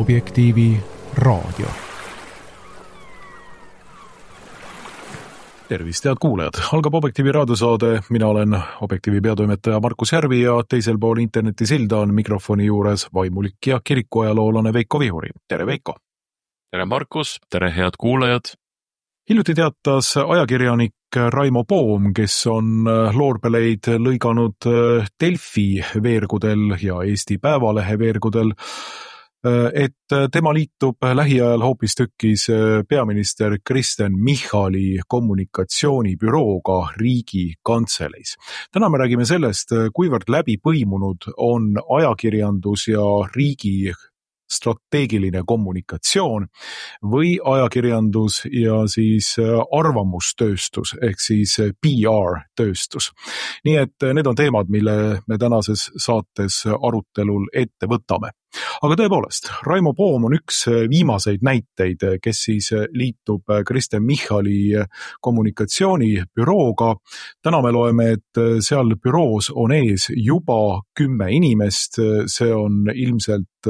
Objektiivi raadio. Tervist, head kuulajad! Algab Objektiivi raadiosaade. Mina olen Objektiivi peatoimetaja Markus Järvi ja teisel pool internetisilda on mikrofoni juures vaimulik ja kirikuajaloolane Veiko Vihuri. Tere, Veiko! Tere, Markus! Tere, head kuulajad! Hiljuti teatas ajakirjanik Raimo Poom, kes on loorbeleid lõiganud Delfi veergudel ja Eesti Päevalehe veergudel, et tema liitub lähiajal hoopistükkis peaminister Kristen Michali kommunikatsioonibürooga Riigikantseleis. Täna me räägime sellest, kuivõrd läbi põimunud on ajakirjandus ja riigi strateegiline kommunikatsioon või ajakirjandus ja siis arvamustööstus ehk siis PR-tööstus. Nii et need on teemad, mille me tänases saates arutelul ette võtame. Aga tõepoolest, Raimo Poom on üks viimaseid näiteid, kes siis liitub Kristen Michali kommunikatsioonibürooga. Täna me loeme, et seal büroos on ees juba 10 inimest. See on ilmselt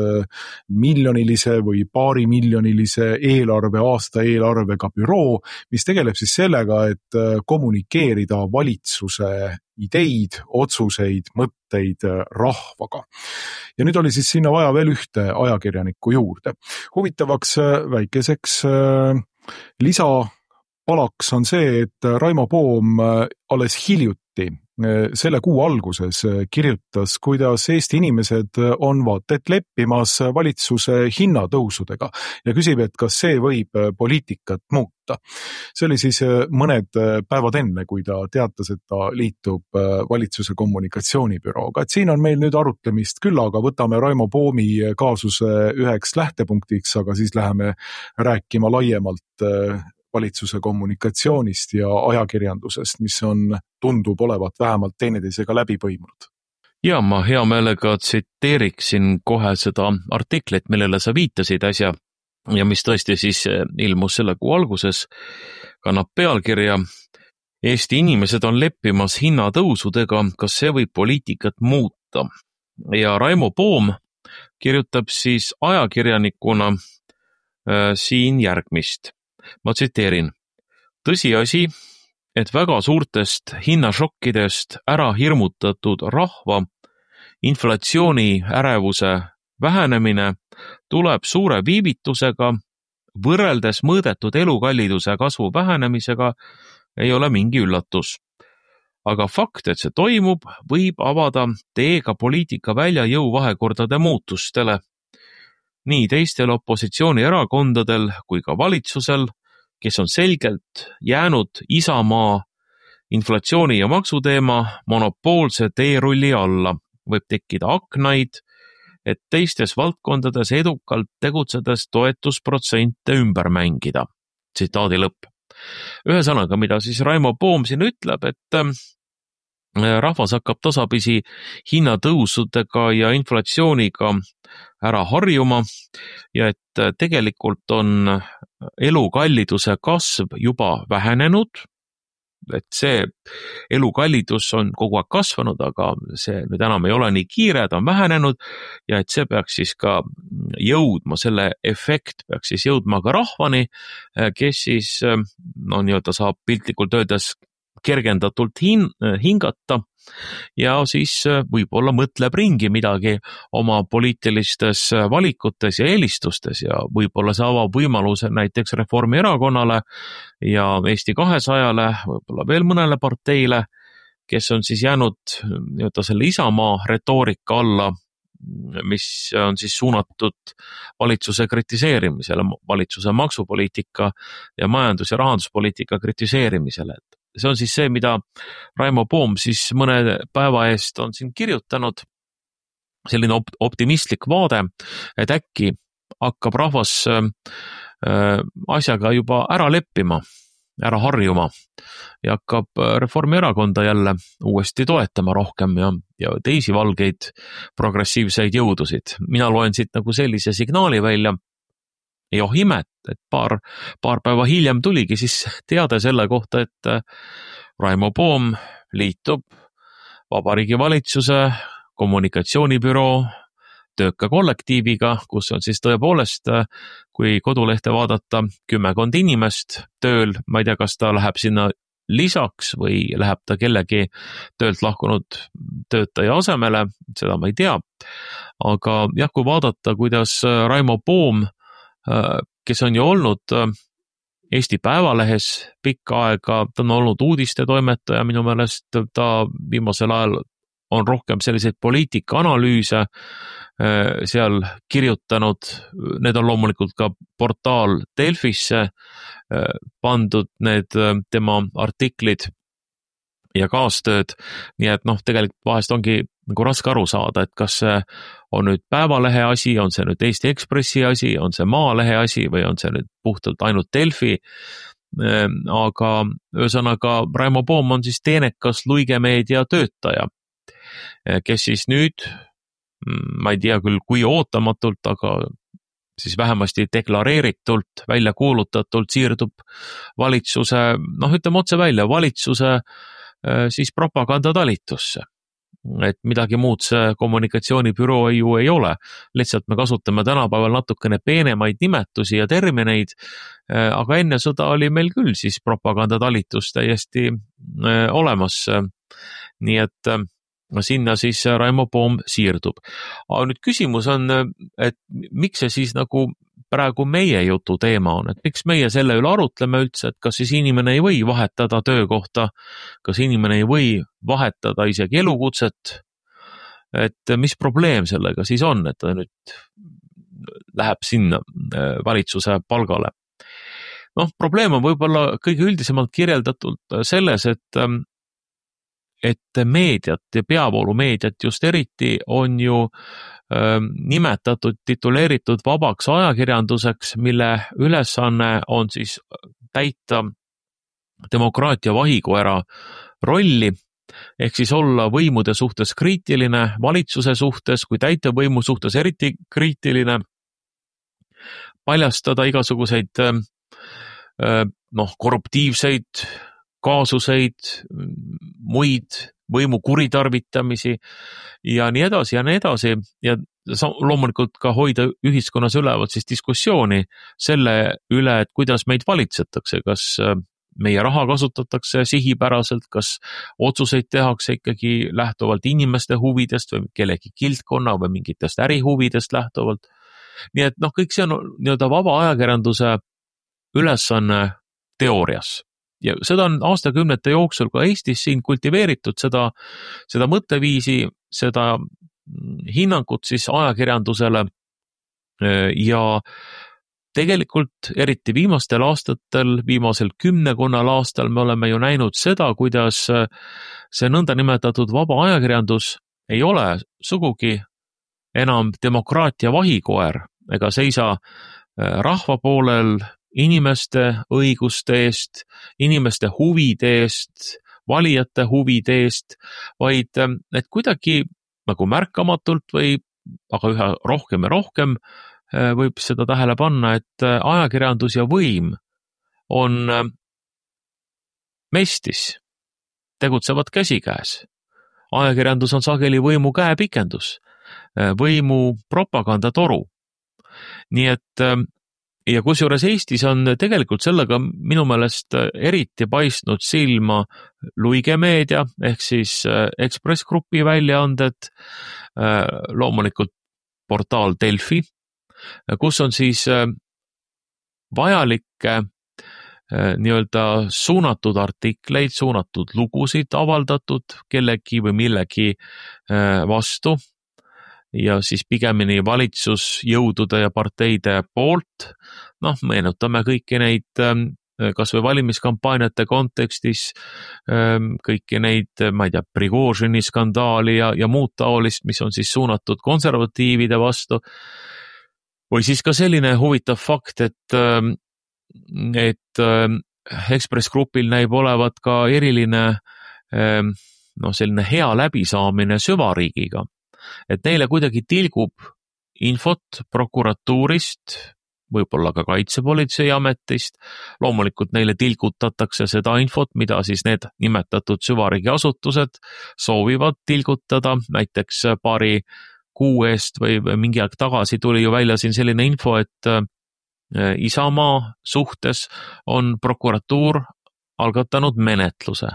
miljonilise või paarimiljonilise eelarve, aasta eelarvega büroo, mis tegeleb siis sellega, et kommunikeerida valitsuse ideid, otsuseid, mõtteid rahvaga. Ja nüüd oli siis sinna vaja veel ühte ajakirjanikku juurde. Huvitavaks väikeseks lisapalaks on see, et Raimo Poom alles hiljuti selle kuu alguses kirjutas, kuidas Eesti inimesed on vaata et leppimas valitsuse hinnatõusudega ja küsib, et kas see võib poliitikat muuta. See oli siis mõned päevad enne, kui ta teatas, et ta liitub valitsuse kommunikatsioonibürooga. Et siin on meil nüüd arutlemist küll, aga võtame Raimo Poomi kaasuse üheks lähtepunktiks, aga siis läheme rääkima laiemalt valitsuse kommunikatsioonist ja ajakirjandusest, mis tundub olevat vähemalt teineteisega läbi põimunud. Ja ma hea meelega tsiteeriksin kohe seda artiklit, millele sa viitasid äsja ja mis tõesti siis ilmus selle kuu alguses, kannab pealkirja Eesti inimesed on leppimas hinnatõusudega, kas see võib poliitikat muuta? Ja Raimo Poom kirjutab siis ajakirjanikuna siin järgmist. Ma tsiteerin. Tõsiasi, et väga suurtest hinnašokkidest ära hirmutatud rahva inflatsiooni ärevuse vähenemine tuleb suure viivitusega, võrreldes mõõdetud elukalliduse kasvu vähenemisega ei ole mingi üllatus. Aga fakt, et see toimub, võib avada teega poliitika välja jõuvahekordade muutustele. Nii teistel opositsioonierakondadel kui ka valitsusel, kes on selgelt jäänud Isamaa inflatsiooni ja maksuteema monopoolse teerulli alla, võib tekkida aknaid, et teistes valdkondades edukalt tegutsedes toetusprotsente ümber mängida. Tsitaadi lõpp. Ühesõnaga, mida siis Raimo Poom siin ütleb, et rahvas hakkab tasapisi hinnatõusudega ja inflatsiooniga ära harjuma ja et tegelikult on elukalliduse kasv juba vähenenud, et see elukallidus on kogu aeg kasvanud, aga see nüüd enam ei ole nii kiire, ta on vähenenud ja et see peaks siis ka jõudma, selle efekt peaks siis jõudma ka rahvani, kes siis nii-öelda saab piltlikult öeldes kergendatult hingata ja siis võib-olla mõtleb ringi midagi oma poliitilistes valikutes ja eelistustes ja võib-olla see avab võimaluse näiteks Reformierakonnale ja Eesti 200-le, võib-olla veel mõnele parteile, kes on siis jäänud nii-öelda selle Isamaa retoorika alla, mis on siis suunatud valitsuse kritiseerimisele, valitsuse maksupoliitika ja majandus- ja rahanduspoliitika kritiseerimisele. See on siis see, mida Raimo Poom siis mõne päeva eest on siin kirjutanud, selline optimistlik vaade, et äkki hakkab rahvas asjaga juba ära leppima, ära harjuma ja hakkab Reformierakonda jälle uuesti toetama rohkem ja teisi valgeid progressiivseid jõudusid. Mina loen siit nagu sellise signaali välja. Ja oh imet, et paar päeva hiljem tuligi siis teade selle kohta, et Raimo Poom liitub Vabariigi Valitsuse kommunikatsioonibüroo tööka kollektiiviga, kus on siis tõepoolest, kui kodulehte vaadata, 10 inimest tööl, ma ei tea, kas ta läheb sinna lisaks või läheb ta kellegi töölt lahkunud töötaja asemele, seda ma ei tea. Aga jah, kui vaadata, kuidas Raimo Poom, kes on ju olnud Eesti Päevalehes pikka aega, ta on olnud uudistetoimetaja, minu meelest ta viimasel ajal on rohkem selliseid poliitikaanalüüse seal kirjutanud, need on loomulikult ka portaal Delfisse pandud, need tema artiklid ja kaastööd, nii et tegelikult vahest ongi nagu raske aru saada, et kas see on nüüd Päevalehe asi, on see nüüd Eesti Ekspressi asi, on see Maalehe asi või on see nüüd puhtalt ainult Delfi, aga ühesõnaga Raimo Poom on siis teenekas Luige meedia töötaja, kes siis nüüd, ma ei tea küll kui ootamatult, aga siis vähemasti deklareeritult, välja kuulutatult siirdub valitsuse, ütleme otse välja, valitsuse siis propagandatalitusse. Et midagi muud see kommunikatsioonibüroo ju ei ole, lihtsalt me kasutame tänapäeval natukene peenemaid nimetusi ja termineid, aga enne sõda oli meil küll siis propagandatalitus täiesti olemas, nii et sinna siis Raimo Poom siirdub. Aga nüüd küsimus on, et miks see siis nagu praegu meie jutu teema on, et miks meie selle üle arutleme üldse, et kas siis inimene ei või vahetada töökohta, kas inimene ei või vahetada isegi elukutset, et mis probleem sellega siis on, et ta nüüd läheb sinna valitsuse palgale. Probleem on võib-olla kõige üldisemalt kirjeldatult selles, et meediat ja peavoolumeediat just eriti on ju nimetatud, tituleeritud vabaks ajakirjanduseks, mille ülesanne on siis täita demokraatia vahikoera rolli, ehk siis olla võimude suhtes kriitiline, valitsuse suhtes kui täitevvõimu suhtes eriti kriitiline, paljastada igasuguseid korruptiivseid kaasuseid, muid võimu kuritarvitamisi ja nii edasi ja loomulikult ka hoida ühiskonnas üleval siis diskussiooni selle üle, et kuidas meid valitsetakse, kas meie raha kasutatakse sihipäraselt, kas otsuseid tehakse ikkagi lähtuvalt inimeste huvidest või kellegi kildkonna või mingitest ärihuvidest lähtuvalt. Nii et kõik see on nii-öelda vaba ajakirjanduse ülesanne teoorias. Ja seda on aastakümnete jooksul ka Eestis siin kultiveeritud, seda mõtteviisi, seda hinnangut siis ajakirjandusele ja tegelikult eriti viimastel aastatel, viimasel 10 aastal me oleme ju näinud seda, kuidas see nõndanimetatud vaba ajakirjandus ei ole sugugi enam demokraatia vahikoer ega seisa rahva poolel, inimeste õiguste eest, inimeste huvide eest, valijate huvide eest, vaid et kuidagi nagu märkamatult või aga üha rohkem ja rohkem võib seda tähele panna, et ajakirjandus ja võim on mestis, tegutsevad käsikäes. Ajakirjandus on sageli võimu käepikendus, võimu propagandatoru. Nii et ja kusjuures Eestis on tegelikult sellega minu meelest eriti paistnud silma Luige meedia ehk siis Ekspress Grupi väljaanded, loomulikult portaal Delfi, kus on siis vajalikke nii-öelda suunatud artikleid, suunatud lugusid avaldatud kellegi või millegi vastu ja siis pigemini valitsusjõudude ja parteide poolt. Meenutame kõiki neid, kas või valimiskampaaniate kontekstis, kõiki neid, ma ei tea, Prigožini skandaali ja muud taolist, mis on siis suunatud konservatiivide vastu. Või siis ka selline huvitav fakt, et Ekspress Grupil näib olevat ka eriline selline hea läbisaamine süvariigiga. Et neile kuidagi tilgub infot prokuratuurist, võib-olla ka kaitsepolitseiametist, loomulikult neile tilgutatakse seda infot, mida siis need nimetatud süvariigi asutused soovivad tilgutada, näiteks paari kuu eest või mingi aeg tagasi tuli ju välja siin selline info, et Isamaa suhtes on prokuratuur algatanud menetluse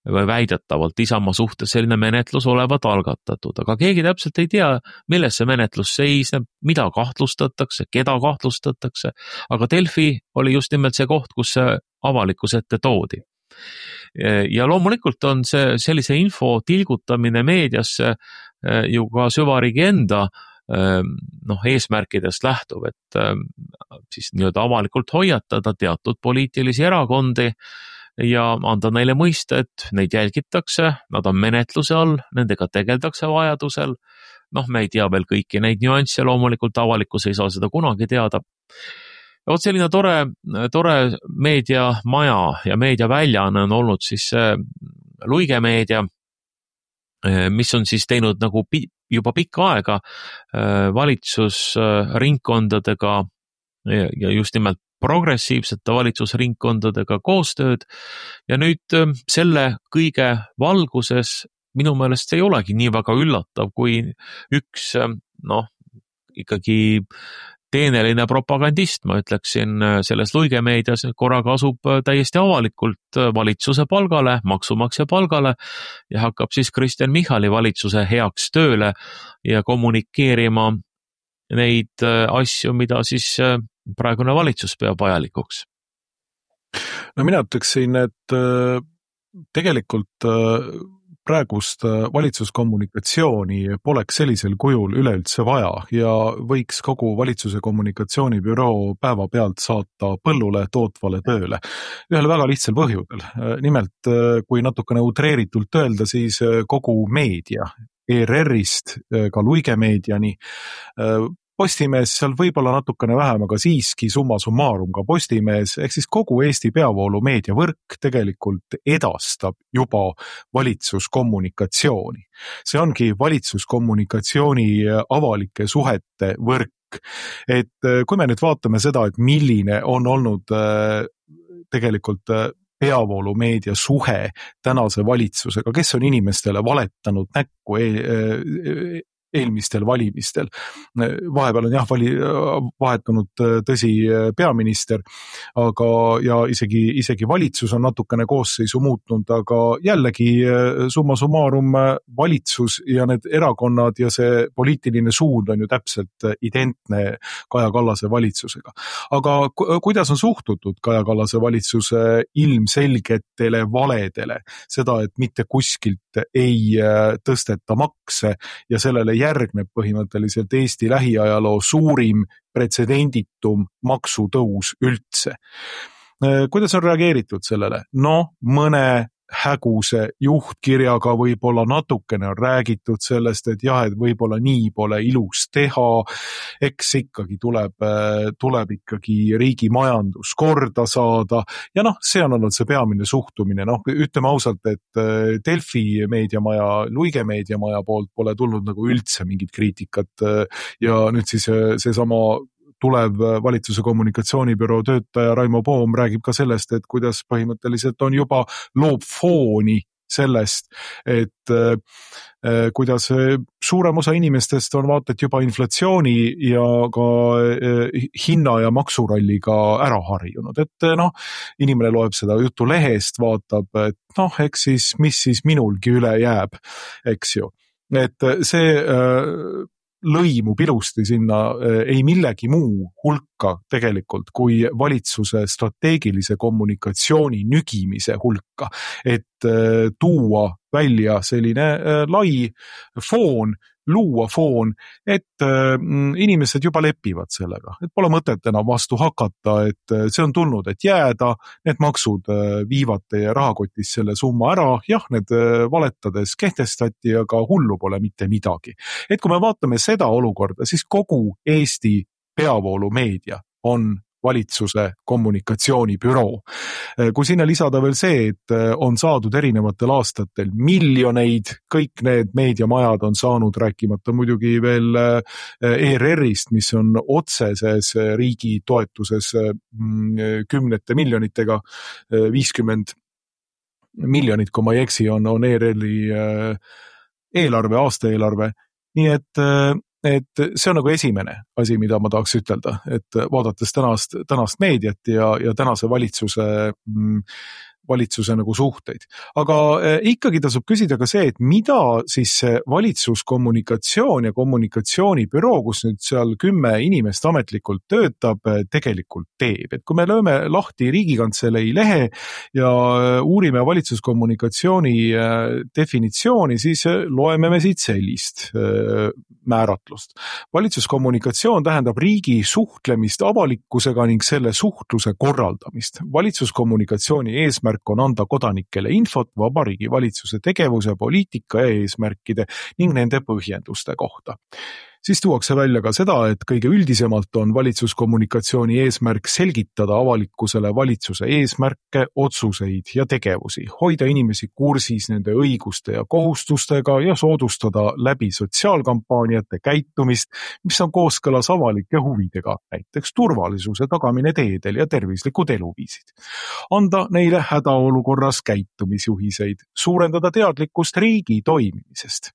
või väidetavalt Isamaa suhtes selline menetlus olevat algatatud, aga keegi täpselt ei tea, milles see menetlus seisneb, mida kahtlustatakse, keda kahtlustatakse, aga Delfi oli just nimelt see koht, kus see avalikkuse ette toodi. Ja loomulikult on see sellise info tilgutamine meediasse ju ka süvariigi enda eesmärkidest lähtub, et siis nii-öelda avalikult hoiatada teatud poliitilisi erakondi ja anda neile mõista, et neid jälgitakse, nad on menetluse all, nendega tegeldakse vajadusel. Me ei tea veel kõiki neid nüansse, loomulikult avalikkus ei saa seda kunagi teada. Ja vot selline tore meediamaja ja meediaväljaanne on olnud siis Luige meedia, mis on siis teinud nagu juba pikka aega valitsusringkondadega ja just nimelt progressiivsete valitsusringkondadega koostööd ja nüüd selle kõige valguses minu meelest ei olegi nii väga üllatav, kui üks ikkagi teeneline propagandist, ma ütleksin, selles Luige meedias korraga asub täiesti avalikult valitsuse palgale, maksumaksja palgale ja hakkab siis Kristen Michali valitsuse heaks tööle ja kommunikeerima neid asju, mida siis praegune valitsus peab vajalikuks. Mina ütleksin, et tegelikult praegust valitsuskommunikatsiooni poleks sellisel kujul üleüldse vaja ja võiks kogu valitsuse kommunikatsioonibüroo päevapealt saata põllule tootvale tööle. Ühel väga lihtsal põhjudel. Nimelt, kui natukene utreeritult öelda, siis kogu meedia, ERR-ist ka Luige meediani, Postimees seal võib-olla natukene vähem, aga siiski summa summarum ka Postimees, ehk siis kogu Eesti peavoolu meediavõrk tegelikult edastab juba valitsuskommunikatsiooni. See ongi valitsuskommunikatsiooni avalike suhete võrk. Et kui me nüüd vaatame seda, et milline on olnud tegelikult peavoolu meedia suhe tänase valitsusega, kes on inimestele valetanud näkku eelmistel valimistel. Vahepeal on vahetunud tõsi peaminister, aga ja isegi valitsus on natukene koosseisu muutnud, aga jällegi summa summarum valitsus ja need erakonnad ja see poliitiline suund on ju täpselt identne Kaja Kallase valitsusega. Aga kuidas on suhtutud Kaja Kallase valitsuse ilmselgetele valedele? Seda, et mitte kuskilt ei tõsteta makse ja sellele järgneb põhimõtteliselt Eesti lähiajaloo suurim pretsedenditum maksutõus üldse. Kuidas on reageeritud sellele? Mõne häguse juhtkirjaga võib-olla natukene on räägitud sellest, et jah, et võib-olla nii pole ilus teha, eks ikkagi tuleb ikkagi riigi majandus korda saada ja see on olnud see peamine suhtumine. Ütleme ausalt, et Delfi meediamaja, Luige meediamaja poolt pole tulnud nagu üldse mingit kriitikat ja nüüd siis seesama tulev valitsuse kommunikatsioonibüroo töötaja Raimo Poom räägib ka sellest, et kuidas põhimõtteliselt on juba loob fooni sellest, et kuidas suurem osa inimestest on vaata, et juba inflatsiooni ja ka hinna- ja maksuralliga ära harjunud. Et inimene loeb seda juttu lehest, vaatab, et eks siis, mis siis minulgi üle jääb, eks ju. Et see lõimub ilusti sinna ei millegi muu hulka tegelikult kui valitsuse strateegilise kommunikatsiooni nügimise hulka, et tuua välja selline lai foon, luua foon, et inimesed juba lepivad sellega, et pole mõtet enam vastu hakata, et see on tulnud, et jääda, need maksud viivad teie rahakotis selle summa ära, jah, need valetades kehtestati, aga hullu pole mitte midagi. Et kui me vaatame seda olukorda, siis kogu Eesti peavoolu meedia on valitsuse kommunikatsioonibüroo. Kui sinna lisada veel see, et on saadud erinevatel aastatel miljoneid, kõik need meediamajad on saanud, rääkimata muidugi veel ERR-ist, mis on otseses riigi toetuses kümnete miljonitega, 50 miljonit, kui ma ei eksi, on ERR-i eelarve, aastaeelarve. nii et see on nagu esimene asi, mida ma tahaks ütelda, et vaadates tänast meediat ja tänase valitsuse nagu suhteid. Aga ikkagi tasub küsida ka see, et mida siis see valitsuskommunikatsioon ja kommunikatsioonibüroo, kus nüüd seal 10 inimest ametlikult töötab, tegelikult teeb. Et kui me lööme lahti Riigikantselei lehe ja uurime valitsuskommunikatsiooni definitsiooni, siis loeme me siit sellist määratlust. Valitsuskommunikatsioon tähendab riigi suhtlemist avalikkusega ning selle suhtluse korraldamist. Valitsuskommunikatsiooni eesmärk on anda kodanikele infot Vabariigi Valitsuse tegevuse, poliitika ja eesmärkide ning nende põhjenduste kohta. Siis tuuakse välja ka seda, et kõige üldisemalt on valitsuskommunikatsiooni eesmärk selgitada avalikkusele valitsuse eesmärke, otsuseid ja tegevusi, hoida inimesi kursis nende õiguste ja kohustustega ja soodustada läbi sotsiaalkampaaniate käitumist, mis on kooskõlas avalike huvidega, näiteks turvalisuse tagamine teedel ja tervislikud eluviisid. Anda neile hädaolukorras käitumisjuhiseid, suurendada teadlikkust riigi toimimisest.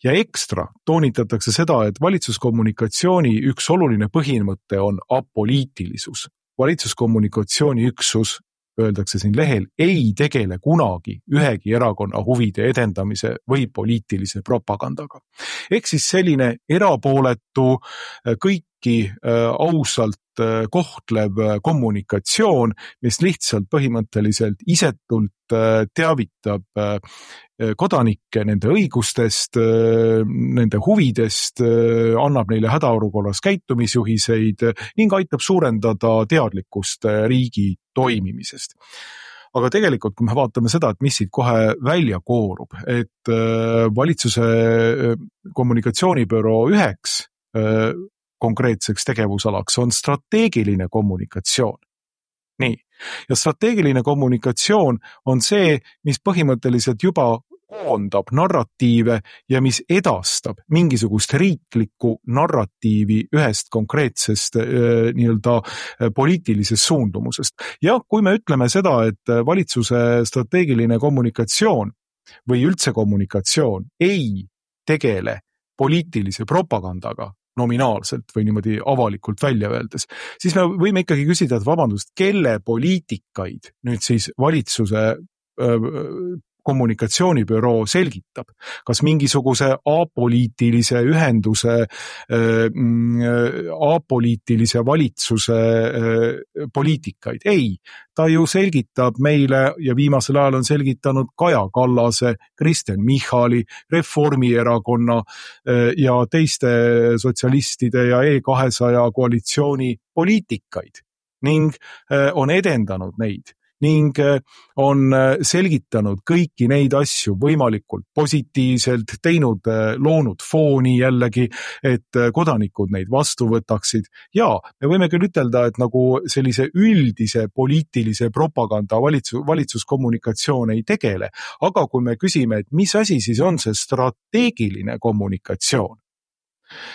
Ja ekstra toonitatakse seda, et valitsuskommunikatsiooni üks oluline põhimõte on apoliitilisus. Valitsuskommunikatsiooni üksus, öeldakse siin lehel, ei tegele kunagi ühegi erakonna huvide edendamise või poliitilise propagandaga. Ehk siis selline erapooletu, kõiki ausalt kohtlev kommunikatsioon, mis lihtsalt põhimõtteliselt isetult teavitab kodanikke nende õigustest, nende huvidest, annab neile hädaolukorras käitumisjuhiseid ning aitab suurendada teadlikkust riigi toimimisest. Aga tegelikult, kui me vaatame seda, et mis siit kohe välja koorub, et valitsuse kommunikatsioonibüroo üheks konkreetseks tegevusalaks on strateegiline kommunikatsioon. Nii. Ja strateegiline kommunikatsioon on see, mis põhimõtteliselt juba koondab narratiive ja mis edastab mingisugust riiklikku narratiivi ühest konkreetsest nii-öelda poliitilisest suundumusest. Ja kui me ütleme seda, et valitsuse strateegiline kommunikatsioon või üldse kommunikatsioon ei tegele poliitilise propagandaga, nominaalselt või niimoodi avalikult välja öeldes, siis me võime ikkagi küsida, et vabandust, kelle poliitikaid nüüd siis valitsuse kommunikatsioonibüroo selgitab. Kas mingisuguse apoliitilise ühenduse, apoliitilise valitsuse poliitikaid? Ei, ta ju selgitab meile ja viimasel ajal on selgitanud Kaja Kallase, Kristen Michali, Reformierakonna ja teiste sotsialistide ja E200 koalitsiooni poliitikaid ning on edendanud neid. Ning on selgitanud kõiki neid asju võimalikult positiivselt, loonud fooni jällegi, et kodanikud neid vastu võtaksid. Ja me võime küll ütelda, et nagu sellise üldise poliitilise propaganda valitsuskommunikatsioon ei tegele, aga kui me küsime, et mis asi siis on see strateegiline kommunikatsioon,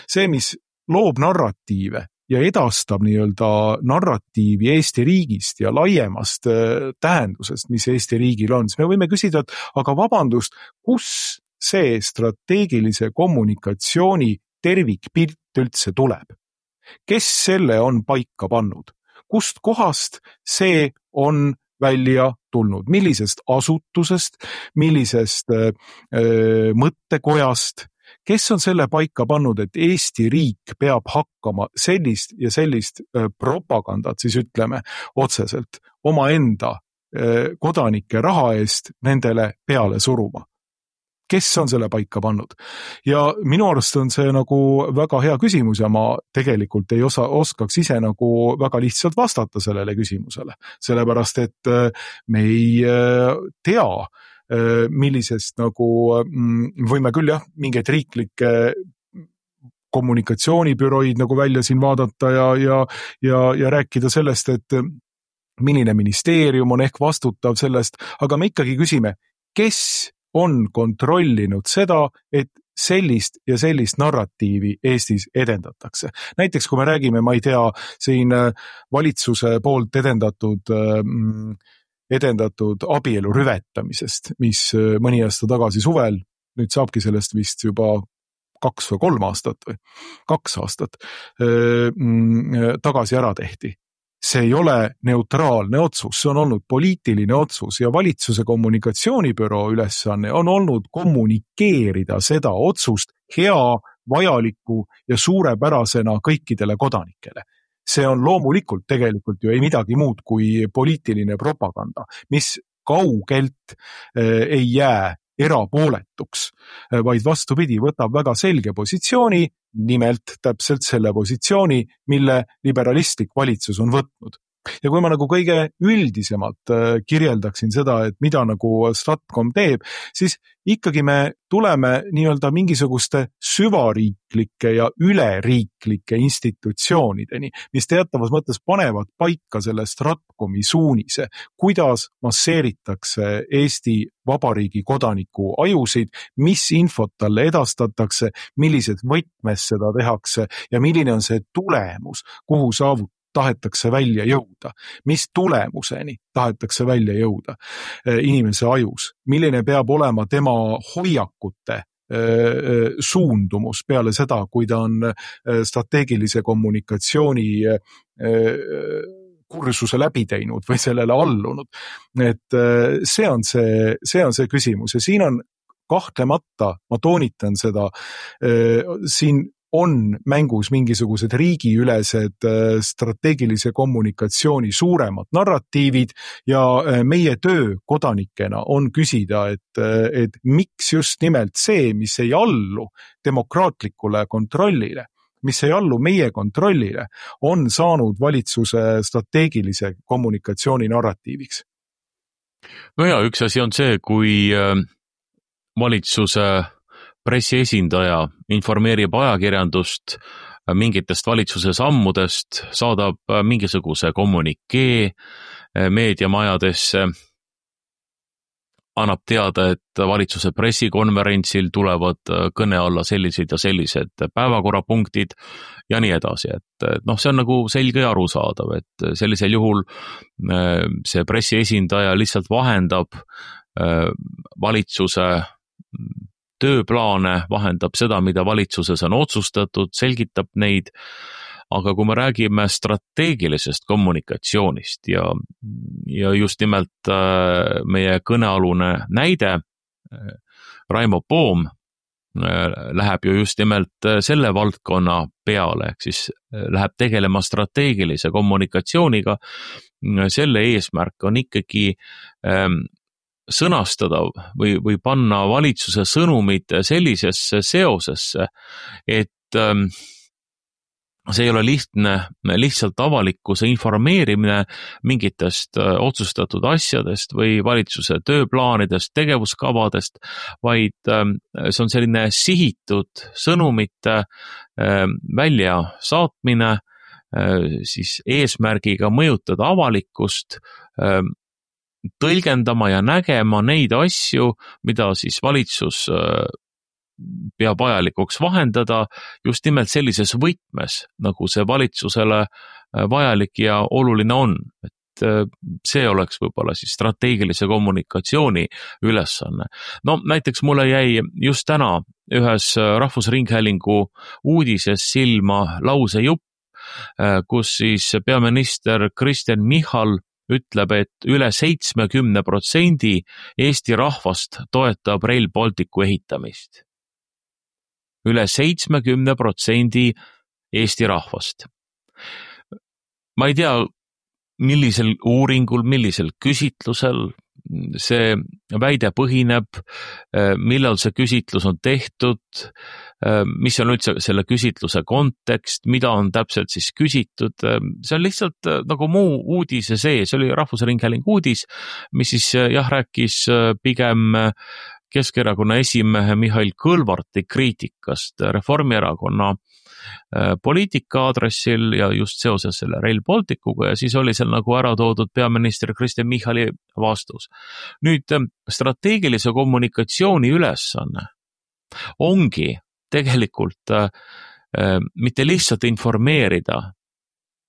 see, mis loob narratiive, ja edastab nii-öelda narratiivi Eesti riigist ja laiemast tähendusest, mis Eesti riigil on, siis me võime küsida, et aga vabandust, kus see strateegilise kommunikatsiooni tervikpilt üldse tuleb? Kes selle on paika pannud? Kust kohast see on välja tulnud? Millisest asutusest, millisest mõttekojast? Kes on selle paika pannud, et Eesti riik peab hakkama sellist ja sellist propagandat, siis ütleme otseselt, omaenda kodanike raha eest nendele peale suruma? Kes on selle paika pannud? Ja minu arust on see nagu väga hea küsimus ja ma tegelikult ei oskaks ise nagu väga lihtsalt vastata sellele küsimusele, sellepärast et me ei tea, millisest nagu võime küll mingeid riiklikke kommunikatsioonibüroid nagu välja siin vaadata ja rääkida sellest, et milline ministeerium on ehk vastutav sellest, aga me ikkagi küsime, kes on kontrollinud seda, et sellist ja sellist narratiivi Eestis edendatakse. Näiteks kui me räägime, ma ei tea, siin valitsuse poolt edendatud abielu rüvetamisest, mis mõni aasta tagasi suvel, nüüd saabki sellest vist juba 2 või 3 aastat või 2 aastat tagasi ära tehti. See ei ole neutraalne otsus, see on olnud poliitiline otsus ja valitsuse kommunikatsioonibüroo ülesanne on olnud kommunikeerida seda otsust hea, vajaliku ja suurepärasena kõikidele kodanikele. See on loomulikult tegelikult ju ei midagi muud kui poliitiline propaganda, mis kaugelt ei jää erapooletuks, vaid vastupidi, võtab väga selge positsiooni, nimelt täpselt selle positsiooni, mille liberalistlik valitsus on võtnud. Ja kui ma nagu kõige üldisemalt kirjeldaksin seda, et mida nagu Stratcom teeb, siis ikkagi me tuleme nii-öelda mingisuguste süvariiklike ja üleriiklike institutsioonideni, mis teatavas mõttes panevad paika selle Stratcomi suunise, kuidas masseeritakse Eesti Vabariigi kodaniku ajusid, mis infot talle edastatakse, millised võtmes seda tehakse ja milline on see tulemus, kuhu tahetakse välja jõuda, mis tulemuseni tahetakse välja jõuda inimese ajus, milline peab olema tema hoiakute suundumus peale seda, kui ta on strateegilise kommunikatsiooni kursuse läbi teinud või sellele allunud. Et see on see küsimus ja siin on kahtlemata, ma toonitan seda, siin on mängus mingisugused riigiülesed strateegilise kommunikatsiooni suuremad narratiivid ja meie töö kodanikena on küsida, et miks just nimelt see, mis ei allu demokraatlikule kontrollile, mis ei allu meie kontrollile, on saanud valitsuse strateegilise kommunikatsiooni narratiiviks. No ja, üks asi on see, kui valitsuse pressiesindaja informeerib ajakirjandust mingitest valitsuse sammudest, saadab mingisuguse kommunikee meediamajadesse, annab teada, et valitsuse pressikonverentsil tulevad kõne alla sellised ja sellised päevakorrapunktid ja nii edasi. Et see on nagu selge ja arusaadav, et sellisel juhul see pressiesindaja lihtsalt vahendab valitsuse tööplaane, vahendab seda, mida valitsuses on otsustatud, selgitab neid, aga kui me räägime strateegilisest kommunikatsioonist ja just nimelt meie kõnealune näide, Raimo Poom läheb ju just nimelt selle valdkonna peale, ehk siis läheb tegelema strateegilise kommunikatsiooniga, selle eesmärk on ikkagi sõnastada või panna valitsuse sõnumid sellisesse seosesse, et see ei ole lihtsalt avalikkuse informeerimine mingitest otsustatud asjadest või valitsuse tööplaanidest, tegevuskavadest, vaid see on selline sihitud sõnumite väljasaatmine siis eesmärgiga mõjutada avalikkust, tõlgendama ja nägema neid asju, mida siis valitsus peab vajalikuks vahendada just nimelt sellises võtmes, nagu see valitsusele vajalik ja oluline on. Et see oleks võib-olla siis strateegilise kommunikatsiooni ülesanne. No näiteks mulle jäi just täna ühes Rahvusringhäälingu uudises silma lausejupp, kus siis peaminister Kristen Michal ütleb, et üle 70% Eesti rahvast toetab Rail Balticu ehitamist. Üle 70% Eesti rahvast. Ma ei tea, millisel uuringul, millisel küsitlusel see väide põhineb, millal see küsitlus on tehtud, mis on üldse selle küsitluse kontekst, mida on täpselt siis küsitud, see on lihtsalt nagu muu uudise sees, see oli Rahvusringhäälingu uudis, mis siis rääkis pigem Keskerakonna esimehe Mihhail Kõlvarti kriitikast Reformierakonna poliitika aadressil ja just seoses selle Rail Balticuga ja siis oli seal nagu ära toodud peaminister Kristen Michali vastus. Nüüd strateegilise kommunikatsiooni ülesanne ongi tegelikult mitte lihtsalt informeerida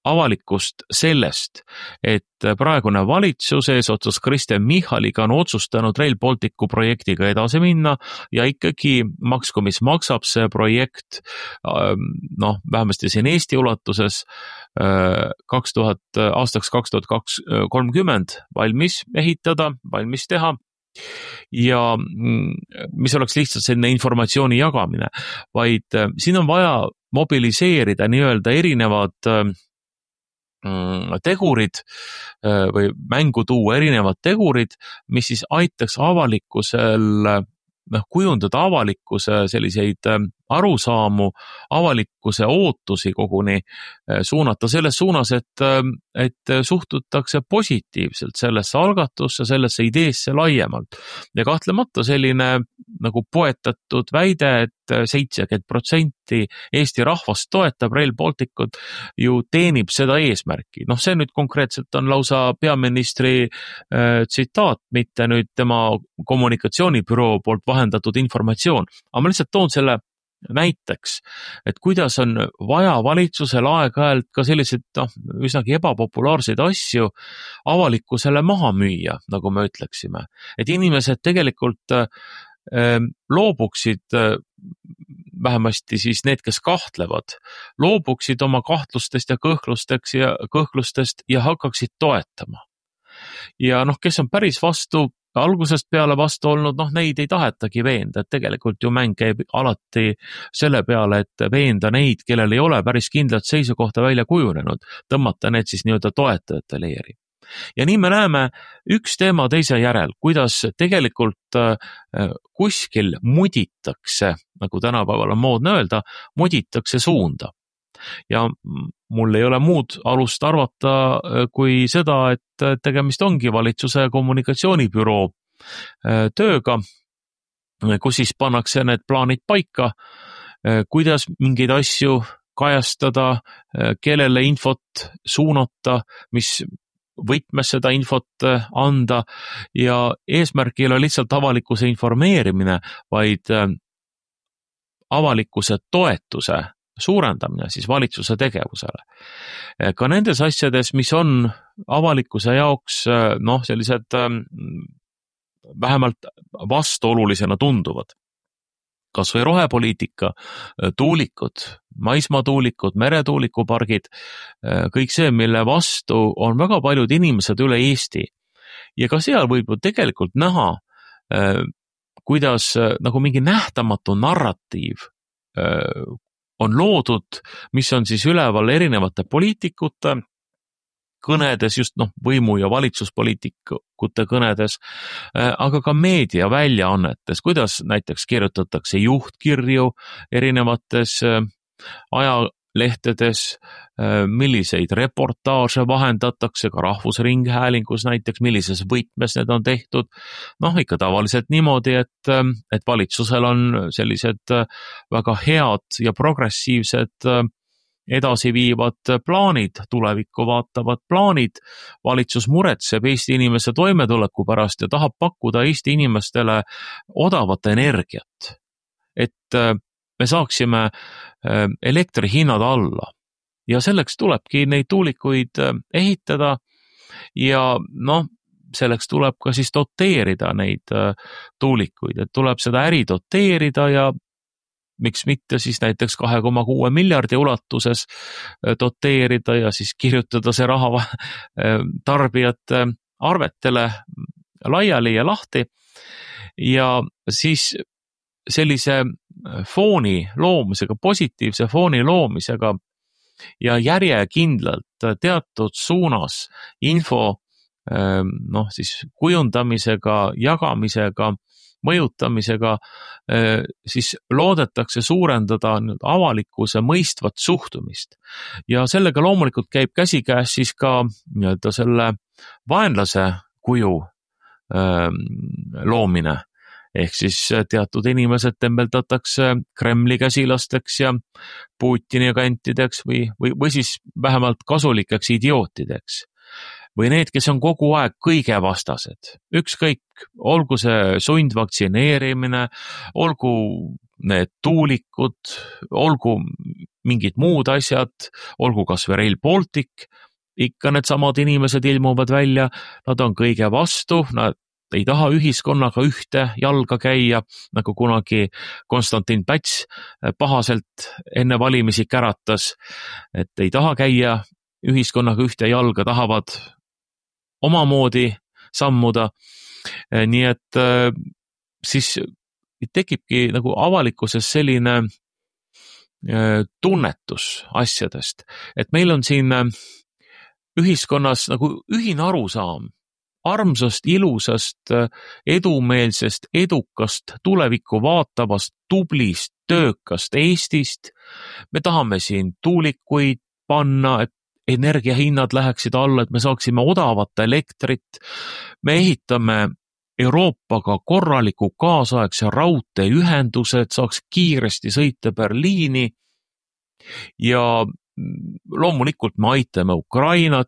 avalikkust sellest, et praegune valitsus eesotsas Kristen Michaliga on otsustanud Rail Balticu projektiga edasi minna ja ikkagi maksku mis maksab see projekt, vähemasti siin Eesti ulatuses aastaks 2030 valmis ehitada, valmis teha ja mis oleks lihtsalt selline informatsiooni jagamine, vaid siin on vaja mobiliseerida nii-öelda erinevad tegurid või mängu tuua erinevad tegurid, mis siis aitaks avalikkusel kujundada avalikkuse selliseid arusaamu, avalikkuse ootusi koguni suunata selles suunas, et suhtutakse positiivselt sellesse algatusse, sellesse ideesse laiemalt. Ja kahtlemata selline nagu poetatud väide, et 70% Eesti rahvast toetab Rail Balticut, ju teenib seda eesmärki. See nüüd konkreetselt on lausa peaministri tsitaat, mitte nüüd tema kommunikatsioonibüroo poolt vahendatud informatsioon. Aga ma lihtsalt toon selle näiteks, et kuidas on vaja valitsusel aeg-ajalt ka selliseid üsnagi ebapopulaarseid asju avalikkusele maha müüa, nagu me ütleksime. Et inimesed tegelikult loobuksid, vähemasti siis need, kes kahtlevad, loobuksid oma kahtlustest ja kõhklustest ja hakkaksid toetama. Ja kes on päris vastu, algusest peale vastu olnud, neid ei tahetagi veenda, et tegelikult ju mäng käib alati selle peale, et veenda neid, kellel ei ole päris kindlat seisukohta välja kujunenud, tõmmata need siis nii-öelda toetajate leeri. Ja nii me näeme üks teema teise järel, kuidas tegelikult kuskil muditakse, nagu tänapäeval on moodne öelda, muditakse suunda. Ja mul ei ole muud alust arvata kui seda, et tegemist ongi valitsuse kommunikatsioonibüroo tööga, kus siis pannakse need plaanid paika, kuidas mingeid asju kajastada, kellele infot suunata, mis võtmes seda infot anda ja eesmärk ei ole lihtsalt avalikkuse informeerimine, vaid avalikkuse toetuse suurendamine siis valitsuse tegevusele. Ka nendes asjades, mis on avalikkuse jaoks sellised vähemalt vastuolulisena tunduvad. Kas või rohepoliitika, tuulikud, maismaatuulikud, meretuulikupargid, kõik see, mille vastu on väga paljud inimesed üle Eesti. Ja ka seal võib ju tegelikult näha, kuidas nagu mingi nähtamatu narratiiv on loodud, mis on siis üleval erinevate poliitikute kõnedes, just võimu- ja valitsuspoliitikute kõnedes, aga ka meediaväljaannetes, kuidas näiteks kirjutatakse juhtkirju erinevates ajalehtedes, milliseid reportaaže vahendatakse ka Rahvusringhäälingus näiteks, millises võtmes need on tehtud. Ikka tavaliselt niimoodi, et valitsusel on sellised väga head ja progressiivsed edasiviivad plaanid, tulevikku vaatavad plaanid. Valitsus muretseb Eesti inimese toimetuleku pärast ja tahab pakkuda Eesti inimestele odavat energiat, et me saaksime elektrihinnad alla. Ja selleks tulebki neid tuulikuid ehitada ja selleks tuleb ka siis doteerida neid tuulikuid, et tuleb seda äri doteerida ja miks mitte siis näiteks 2,6 miljardi ulatuses doteerida ja siis kirjutada see raha tarbijate arvetele laiali ja lahti ja siis sellise fooni loomisega, positiivse fooni loomisega ja järjekindlalt teatud suunas info siis kujundamisega, jagamisega, mõjutamisega, siis loodetakse suurendada avalikkuse mõistvat suhtumist. Ja sellega loomulikult käib käsikäes siis ka nii-öelda selle vaenlase kuju loomine. Ehk siis teatud inimesed tembeldatakse Kremli käsilasteks ja Putini agentideks või siis vähemalt kasulikeks idiootideks. Või need, kes on kogu aeg kõige vastased. Ükskõik, olgu see sundvaktsineerimine, olgu need tuulikud, olgu mingid muud asjad, olgu kas või Rail Baltic, ikka need samad inimesed ilmuvad välja, nad on kõige vastu, nad ei taha ühiskonnaga ühte jalga käia, nagu kunagi Konstantin Päts pahaselt enne valimisi käratas, et ei taha käia ühiskonnaga ühte jalga, tahavad omamoodi sammuda. Nii et siis tekibki nagu avalikkuses selline tunnetus asjadest, et meil on siin ühiskonnas nagu ühine arusaam armsast, ilusast, edumeelsest, edukast, tulevikku vaatavast, tublist, töökast Eestist. Me tahame siin tuulikuid panna, et energiahinnad läheksid alla, et me saaksime odavat elektrit. Me ehitame Euroopaga korraliku kaasaegse raudteeühenduse, et saaks kiiresti sõita Berliini ja loomulikult me aitame Ukrainat,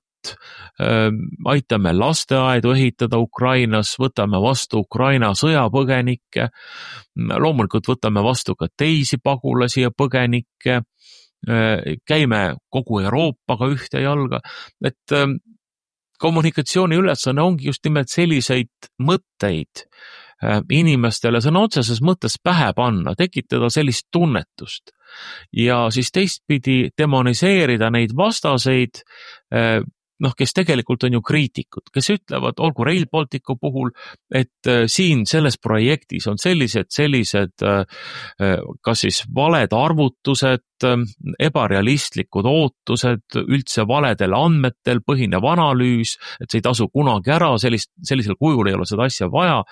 aitame lasteaedu ehitada Ukrainas, võtame vastu Ukraina sõjapõgenikke, loomulikult võtame vastu ka teisi pagulasi ja põgenikke, käime kogu Euroopaga ühte jalga, et kommunikatsiooni ülesanne ongi just nimelt selliseid mõtteid inimestele sõna otseses mõttes pähe panna, tekitada sellist tunnetust ja siis teistpidi demoniseerida neid vastaseid, kes tegelikult on ju kriitikud, kes ütlevad, olgu Rail Balticu puhul, et siin selles projektis on sellised kas siis valed arvutused, ebarealistlikud ootused, üldse valedel andmetel põhinev analüüs, et see ei tasu kunagi ära, sellisel kujul ei ole seda asja vaja,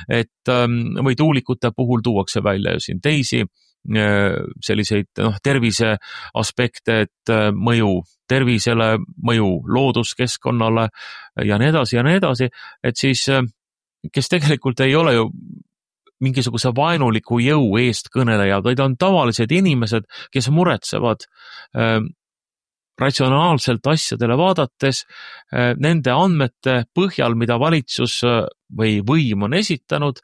et või tuulikute puhul tuuakse välja ju siin teisi selliseid tervise aspekte, et mõju tervisele, mõju looduskeskkonnale ja nii edasi, et siis kes tegelikult ei ole ju mingisuguse vaenuliku jõu eestkõnelejad, vaid on tavalised inimesed, kes muretsevad ratsionaalselt asjadele vaadates nende andmete põhjal, mida valitsus või võim on esitanud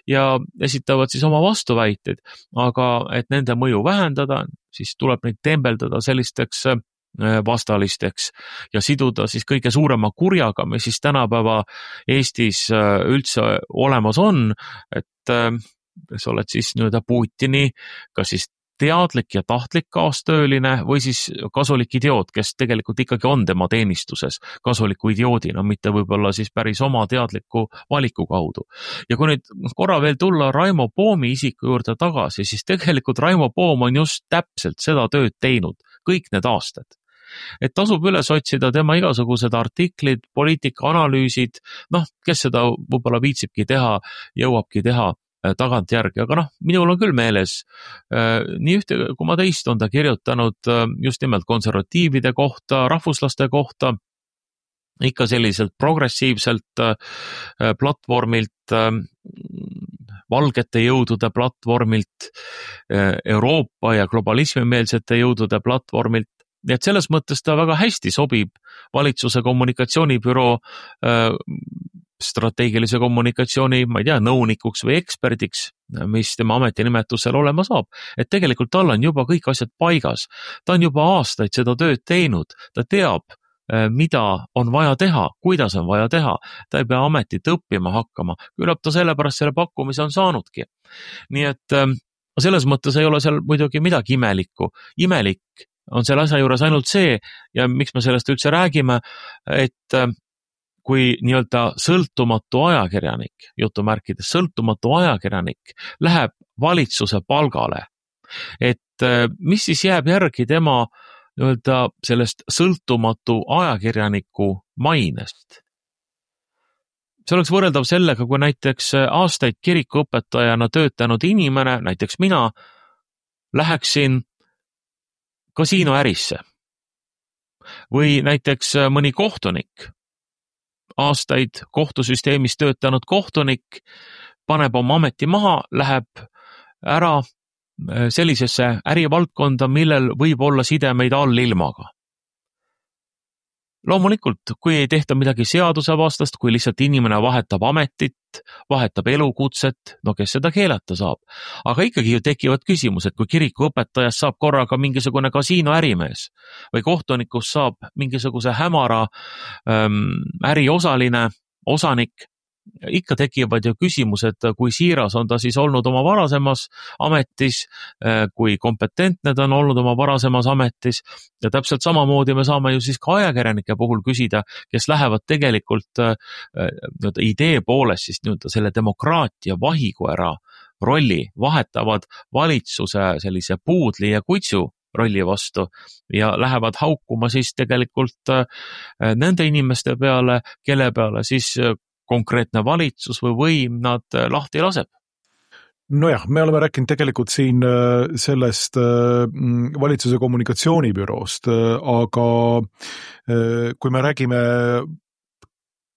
ja esitavad siis oma vastuväiteid, aga et nende mõju vähendada, siis tuleb neid tembeldada sellisteks vastalisteks ja siduda siis kõige suurema kurjaga, mis siis tänapäeva Eestis üldse olemas on, et sa oled siis nii-öelda Putini, kas siis teadlik ja tahtlik kaastööline või siis kasulik idioot, kes tegelikult ikkagi on tema teenistuses kasuliku idioodina, mitte võib-olla siis päris oma teadliku valiku kaudu. Ja kui nüüd korra veel tulla Raimo Poomi isiku juurde tagasi, siis tegelikult Raimo Poom on just täpselt seda tööd teinud kõik need aastad. Et tasub üles otsida tema igasugused artiklid, poliitikaanalüüsid, kes seda võib-olla viitsibki teha, jõuabki teha tagantjärgi, aga minul on küll meeles, nii ühte kui ma teist on ta kirjutanud just nimelt konservatiivide kohta, rahvuslaste kohta, ikka selliselt progressiivselt platvormilt, valgete jõudude platvormilt, Euroopa ja globalismimeelsete jõudude platvormilt, nii et selles mõttes ta väga hästi sobib valitsuse kommunikatsioonibüroo strateegilise kommunikatsiooni, ma ei tea, nõunikuks või eksperdiks, mis tema ametinimetusel olema saab. Et tegelikult tal on juba kõik asjad paigas. Ta on juba aastaid seda tööd teinud. Ta teab, mida on vaja teha, kuidas on vaja teha. Ta ei pea ametit õppima hakkama. Küllap ta sellepärast selle pakkumise on saanudki. Nii et selles mõttes ei ole seal muidugi midagi imelikku. Imelik on selle asja juures ainult see, ja miks me sellest üldse räägime, et kui nii-öelda sõltumatu ajakirjanik, jutumärkides sõltumatu ajakirjanik, läheb valitsuse palgale, et mis siis jääb järgi tema nii-öelda sellest sõltumatu ajakirjaniku mainest? See oleks võrreldav sellega, kui näiteks aastaid kirikuõpetajana töötanud inimene, näiteks mina, läheksin kasiinoärisse või näiteks mõni kohtunik, aastaid kohtusüsteemis töötanud kohtunik, paneb oma ameti maha, läheb ära sellisesse ärivaldkonda, millel võib olla sidemeid allilmaga. loomulikult, kui ei tehta midagi seadusevastast, kui lihtsalt inimene vahetab ametit, vahetab elukutset, no kes seda keelata saab. Aga ikkagi ju tekivad küsimused, kui kirikuõpetajast saab korraga mingisugune kasiinoärimees või kohtunikust saab mingisuguse hämara äriosaline, osanik, ikka tekivad ju küsimused, kui siiras on ta siis olnud oma varasemas ametis, kui kompetentne ta on olnud oma varasemas ametis ja täpselt samamoodi me saame ju siis ka ajakirjanike puhul küsida, kes lähevad tegelikult idee poolest siis selle demokraatia vahikoera rolli, vahetavad valitsuse sellise puudli ja kutsu rolli vastu ja lähevad haukuma siis tegelikult nende inimeste peale, kelle peale siis konkreetne valitsus või võim nad lahti laseb. Nojah, me oleme rääkinud tegelikult siin sellest valitsuse kommunikatsioonibüroost, aga kui me räägime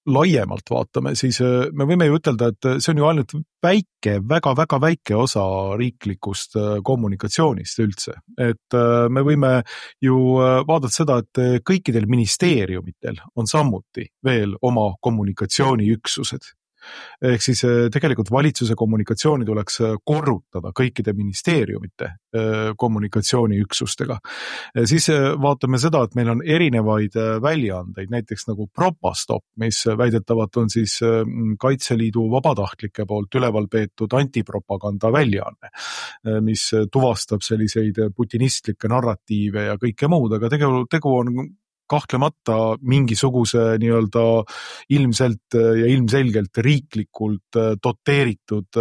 laiemalt vaatame, siis me võime ju ütelda, et see on ju ainult väike, väga-väga väike osa riiklikust kommunikatsioonist üldse. Et me võime ju vaadata seda, et kõikidel ministeeriumitel on samuti veel oma kommunikatsiooniüksused. Ehk siis tegelikult valitsuse kommunikatsiooni tuleks korrutada kõikide ministeeriumite kommunikatsiooniüksustega. Siis vaatame seda, et meil on erinevaid väljaandeid, näiteks nagu Propastop, mis väidetavalt on siis Kaitseliidu vabatahtlike poolt üleval peetud antipropaganda väljaanne, mis tuvastab selliseid putinistlikke narratiive ja kõike muud, aga tegu on kahtlemata mingisuguse nii-öelda ilmselt ja ilmselgelt riiklikult doteeritud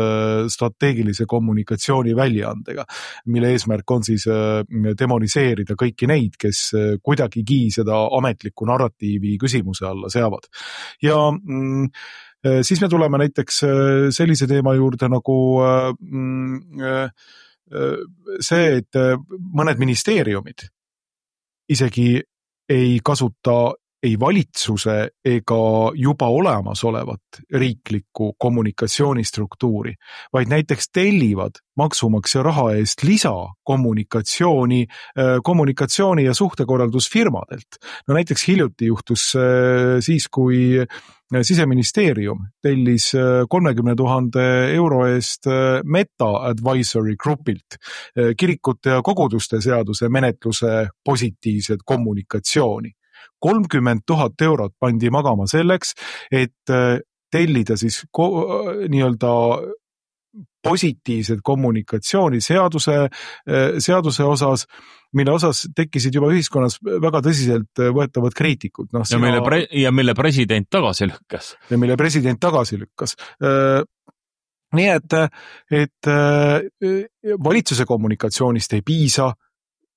strateegilise kommunikatsiooni väljaandega, mille eesmärk on siis demoniseerida kõiki neid, kes kuidagigi seda ametlikku narratiivi küsimuse alla seavad. Ja siis me tuleme näiteks sellise teema juurde nagu see, et mõned ministeeriumid isegi ei kasuta ei valitsuse ega juba olemasolevat riiklikku kommunikatsioonistruktuuri, vaid näiteks tellivad maksumaksja raha eest lisakommunikatsiooni ja suhtekorraldusfirmadelt. No näiteks hiljuti juhtus siis, kui Siseministeerium tellis 30 000 euro eest Meta Advisory Groupilt kirikute ja koguduste seaduse menetluse positiivset kommunikatsiooni. 30 000 eurot pandi magama selleks, et tellida siis nii-öelda positiivset kommunikatsiooni seaduse osas, mille osas tekkisid juba ühiskonnas väga tõsiselt võetavad kriitikud. No, mille president tagasi lükkas. Ja mille president tagasi lükkas. Nii et valitsuse kommunikatsioonist ei piisa,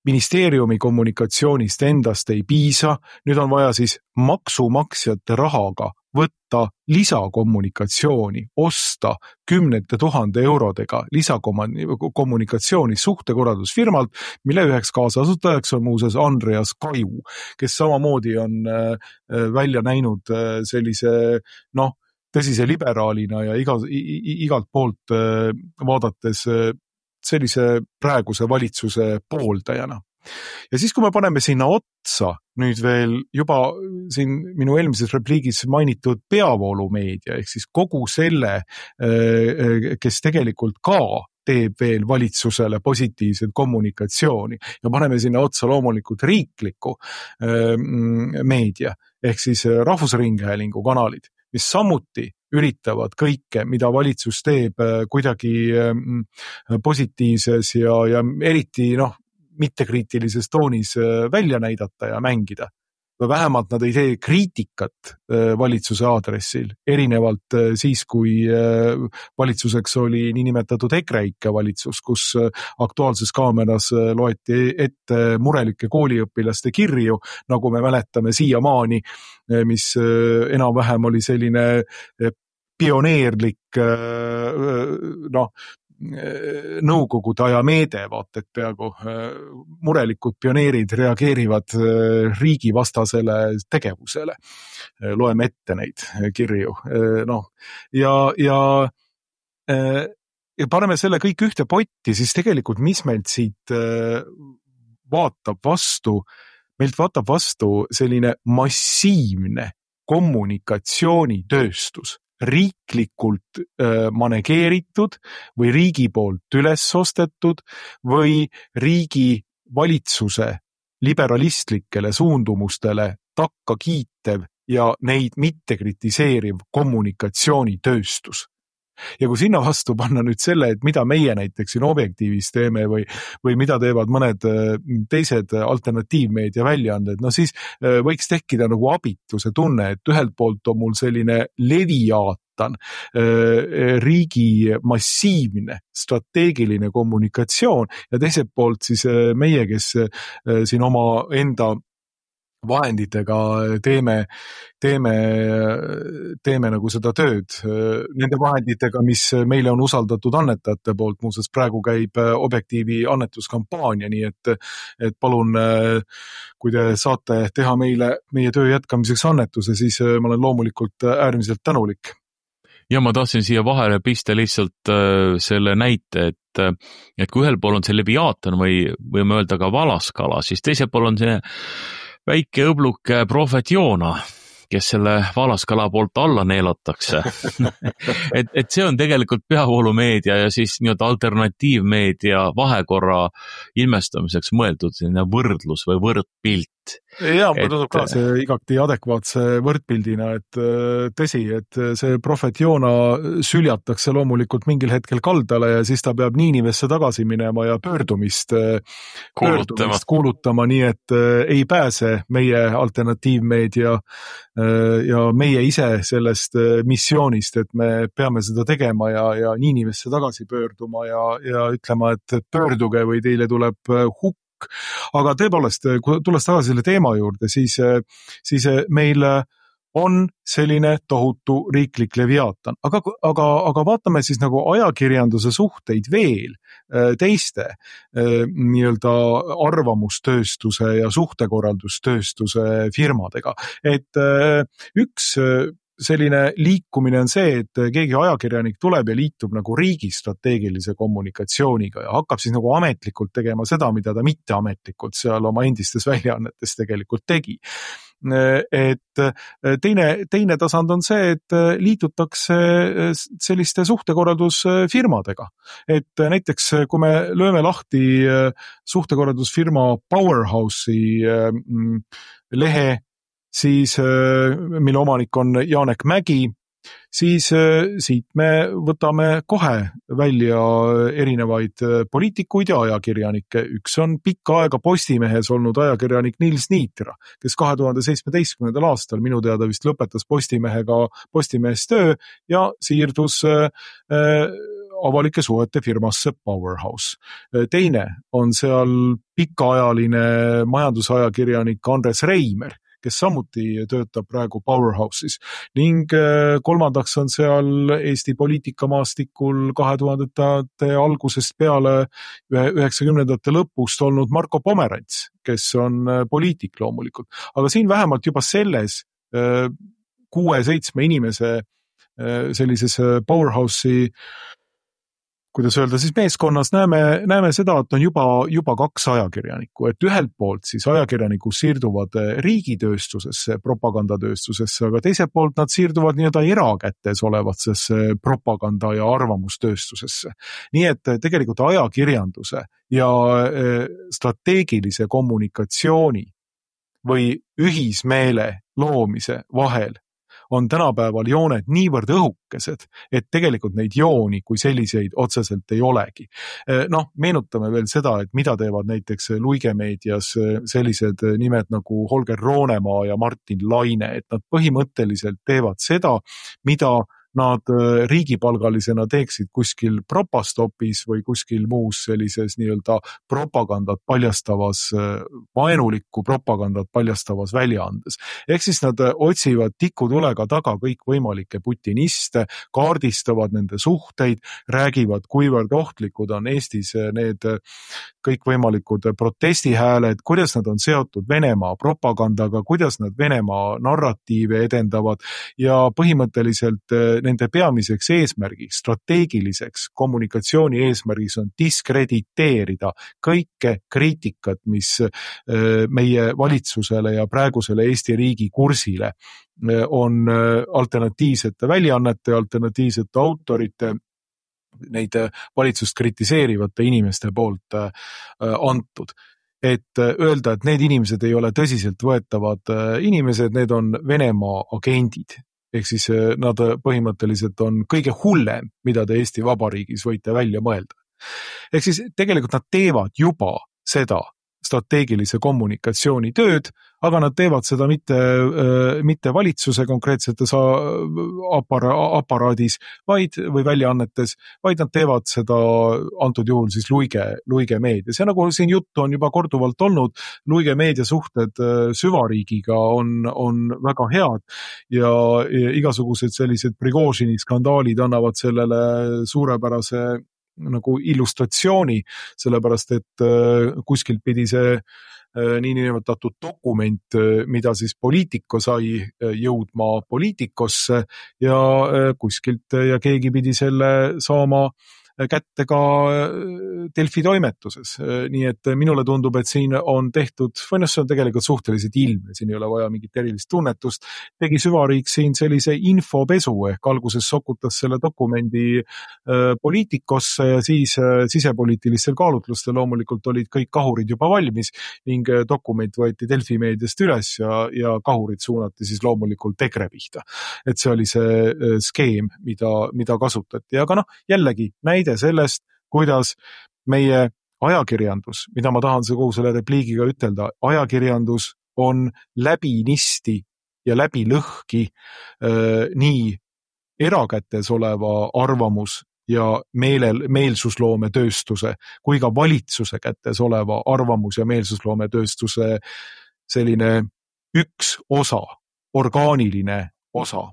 ministeeriumi kommunikatsioonist endast ei piisa, nüüd on vaja siis maksumaksjate rahaga võtta lisakommunikatsiooni, osta 10 000 eurodega lisakommunikatsiooni suhtekorraldusfirmalt, mille üheks kaasasutajaks on muuseas Andreas Kaju, kes samamoodi on välja näinud sellise, tõsise liberaalina ja igalt poolt vaadates sellise praeguse valitsuse pooldajana. Ja siis, kui me paneme sinna otsa nüüd veel juba siin minu eelmises repliigis mainitud peavoolumeedia, ehk siis kogu selle, kes tegelikult ka teeb veel valitsusele positiivset kommunikatsiooni ja paneme sinna otsa loomulikult riikliku meedia, ehk siis Rahvusringhäälingu kanalid, mis samuti üritavad kõike, mida valitsus teeb kuidagi positiivses ja eriti mittekriitilises toonis välja näidata ja mängida. Või vähemalt nad ei tee kriitikat valitsuse aadressil, erinevalt siis, kui valitsuseks oli niinimetatud EKREIKE valitsus, kus Aktuaalses Kaameras loeti ette murelike kooliõpilaste kirju, nagu me mäletame siiamaani, mis enam-vähem oli selline pioneerlik nõukogude aja meede, vaat et peaaegu murelikud pioneerid reageerivad riigivastasele tegevusele. Loeme ette neid kirju. Ja paneme selle kõik ühte potti, siis tegelikult mis meilt siit vaatab vastu meilt vaatab vastu selline massiivne kommunikatsioonitööstus, riiklikult manegeeritud või riigi poolt üles ostetud või riigi valitsuse liberalistlikele suundumustele takka kiitev ja neid mitte kritiseeriv kommunikatsioonitööstus. Ja kui sinna vastu panna nüüd selle, et mida meie näiteks siin Objektiivis teeme või mida teevad mõned teised alternatiivmeedia väljaanded, no siis võiks tekkida nagu abituse tunne, et ühelt poolt on mul selline leviaatan, riigi massiivne strateegiline kommunikatsioon ja teiselt poolt siis meie, kes siin oma enda vahenditega teeme nagu seda tööd nende vahenditega, mis meile on usaldatud annetajate poolt. Muuseas, praegu käib Objektiivi annetuskampaania, nii et palun, kui te saate teha meie töö jätkamiseks annetuse, siis ma olen loomulikult äärmiselt tänulik. Ja ma tahtsin siia vahele pista lihtsalt selle näite, et kui ühel pool on see leviaatan või võime öelda ka valaskala, siis teisel pool on see väike õbluke prohvet Joona, kes selle valaskala poolt alla neelatakse. et see on tegelikult peavoolumeedia ja siis nii-öelda alternatiivmeedia vahekorra ilmestamiseks mõeldud selline võrdlus või võrdpilt. Ja, ma tundub ka see igati adekvaatse võrdpildina, et tõsi, et see prohvet Joona süljatakse loomulikult mingil hetkel kaldale ja siis ta peab Niinivesse tagasi minema ja pöördumist kuulutama, nii et ei pääse meie alternatiivmeedia ja meie ise sellest missioonist, et me peame seda tegema ja Niinivesse tagasi pöörduma ja ütlema, et pöörduge või teile tuleb hukk. Aga tõepoolest, kui tulles tagasi selle teema juurde, siis meil on selline tohutu riiklik leviaatan. Aga vaatame siis nagu ajakirjanduse suhteid veel teiste nii-öelda arvamustööstuse ja suhtekorraldustööstuse firmadega. Et üks selline liikumine on see, et keegi ajakirjanik tuleb ja liitub nagu riigi strateegilise kommunikatsiooniga ja hakkab siis nagu ametlikult tegema seda, mida ta mitteametlikult seal oma endistes väljaannetes tegelikult tegi. Et teine tasand on see, et liitutakse selliste suhtekorraldusfirmadega. Et näiteks, kui me lööme lahti suhtekorraldusfirma Powerhouse'i lehe, siis mille omanik on Janek Mägi, siis siit me võtame kohe välja erinevaid poliitikuid ja ajakirjanikke. Üks on pikka aega Postimehes olnud ajakirjanik Nils Niitra, kes 2017. aastal minu teada vist lõpetas Postimehes töö ja siirdus avalike suhete firmasse Powerhouse. Teine on seal pikaajaline majandusajakirjanik Andres Reimer, kes samuti töötab praegu Powerhouse'is. Ning kolmandaks on seal Eesti poliitikamaastikul 2000-ndate algusest peale 90-ndate lõpust olnud Marko Pomerants, kes on poliitik loomulikult. Aga siin vähemalt juba selles 6-7 inimese sellises Powerhouse'i, kuidas öelda, siis meeskonnas näeme seda, et on juba 2 ajakirjanikku, et ühelt poolt siis ajakirjanikud siirduvad riigitööstusesse, propagandatööstusesse, aga teiselt poolt nad siirduvad nii-öelda erakätes olevatsesse propaganda- ja arvamustööstusesse. Nii et tegelikult ajakirjanduse ja strateegilise kommunikatsiooni või ühismeele loomise vahel on tänapäeval jooned niivõrd õhukesed, et tegelikult neid jooni kui selliseid otseselt ei olegi. Meenutame veel seda, et mida teevad näiteks luigemeedias sellised nimed nagu Holger Roonemaa ja Martin Laine, et nad põhimõtteliselt teevad seda, mida nad riigipalgalisena teeksid kuskil propastopis või kuskil muus sellises nii-öelda propagandat paljastavas, vaenulikku propagandat paljastavas väljaandes. Ehk siis nad otsivad tikutulega taga kõikvõimalikke putiniste, kaardistavad nende suhteid, räägivad, kuivõrd ohtlikud on Eestis need kõikvõimalikud protestihääled, kuidas nad on seotud Venemaa propagandaga, kuidas nad Venemaa narratiive edendavad ja põhimõtteliselt nende peamiseks eesmärgiks, strateegiliseks kommunikatsiooni eesmärgiks on diskrediteerida kõike kriitikat, mis meie valitsusele ja praegusele Eesti riigi kursile on alternatiivsete väljaannete, alternatiivsete autorite, neid valitsust kritiseerivate inimeste poolt antud. Et öelda, et need inimesed ei ole tõsiselt võetavad inimesed, need on Venemaa agendid. Ehk siis nad põhimõtteliselt on kõige hullem, mida te Eesti Vabariigis võite välja mõelda. Ehk siis tegelikult nad teevad juba seda strateegilise kommunikatsiooni tööd, aga nad teevad seda mitte valitsuse konkreetsetes aparaadis või väljaannetes, vaid nad teevad seda antud juhul siis Luige meedias. Ja nagu siin juttu on juba korduvalt olnud, Luige meedia suhted süvariigiga on väga head ja igasugused sellised Prigožini skandaalid annavad sellele suurepärase nagu illustratsiooni, sellepärast et kuskilt pidi see niinimetatud dokument, mida siis poliitiko sai jõudma poliitikosse ja kuskilt ja keegi pidi selle saama kätte ka Delfi toimetuses. Nii et minule tundub, et siin on tehtud, või see on tegelikult suhteliselt ilmne, siin ei ole vaja mingit erilist tunnetust, tegi süvariik siin sellise infopesu ehk alguses sokutas selle dokumendi poliitikosse ja siis sisepoliitilistel kaalutlustel loomulikult olid kõik kahurid juba valmis ning dokument võeti Delfi meediast üles ja kahurid suunati siis loomulikult EKRE pihta. Et see oli see skeem, mida kasutati. Aga jällegi näide sellest, kuidas meie ajakirjandus, mida ma tahan kogu selle repliigiga ütelda, ajakirjandus on läbinisti ja läbi lõhki nii erakätes oleva arvamus ja meelsusloome tööstuse kui ka valitsuse kätes oleva arvamus ja meelsusloome tööstuse selline üks osa, orgaaniline osa.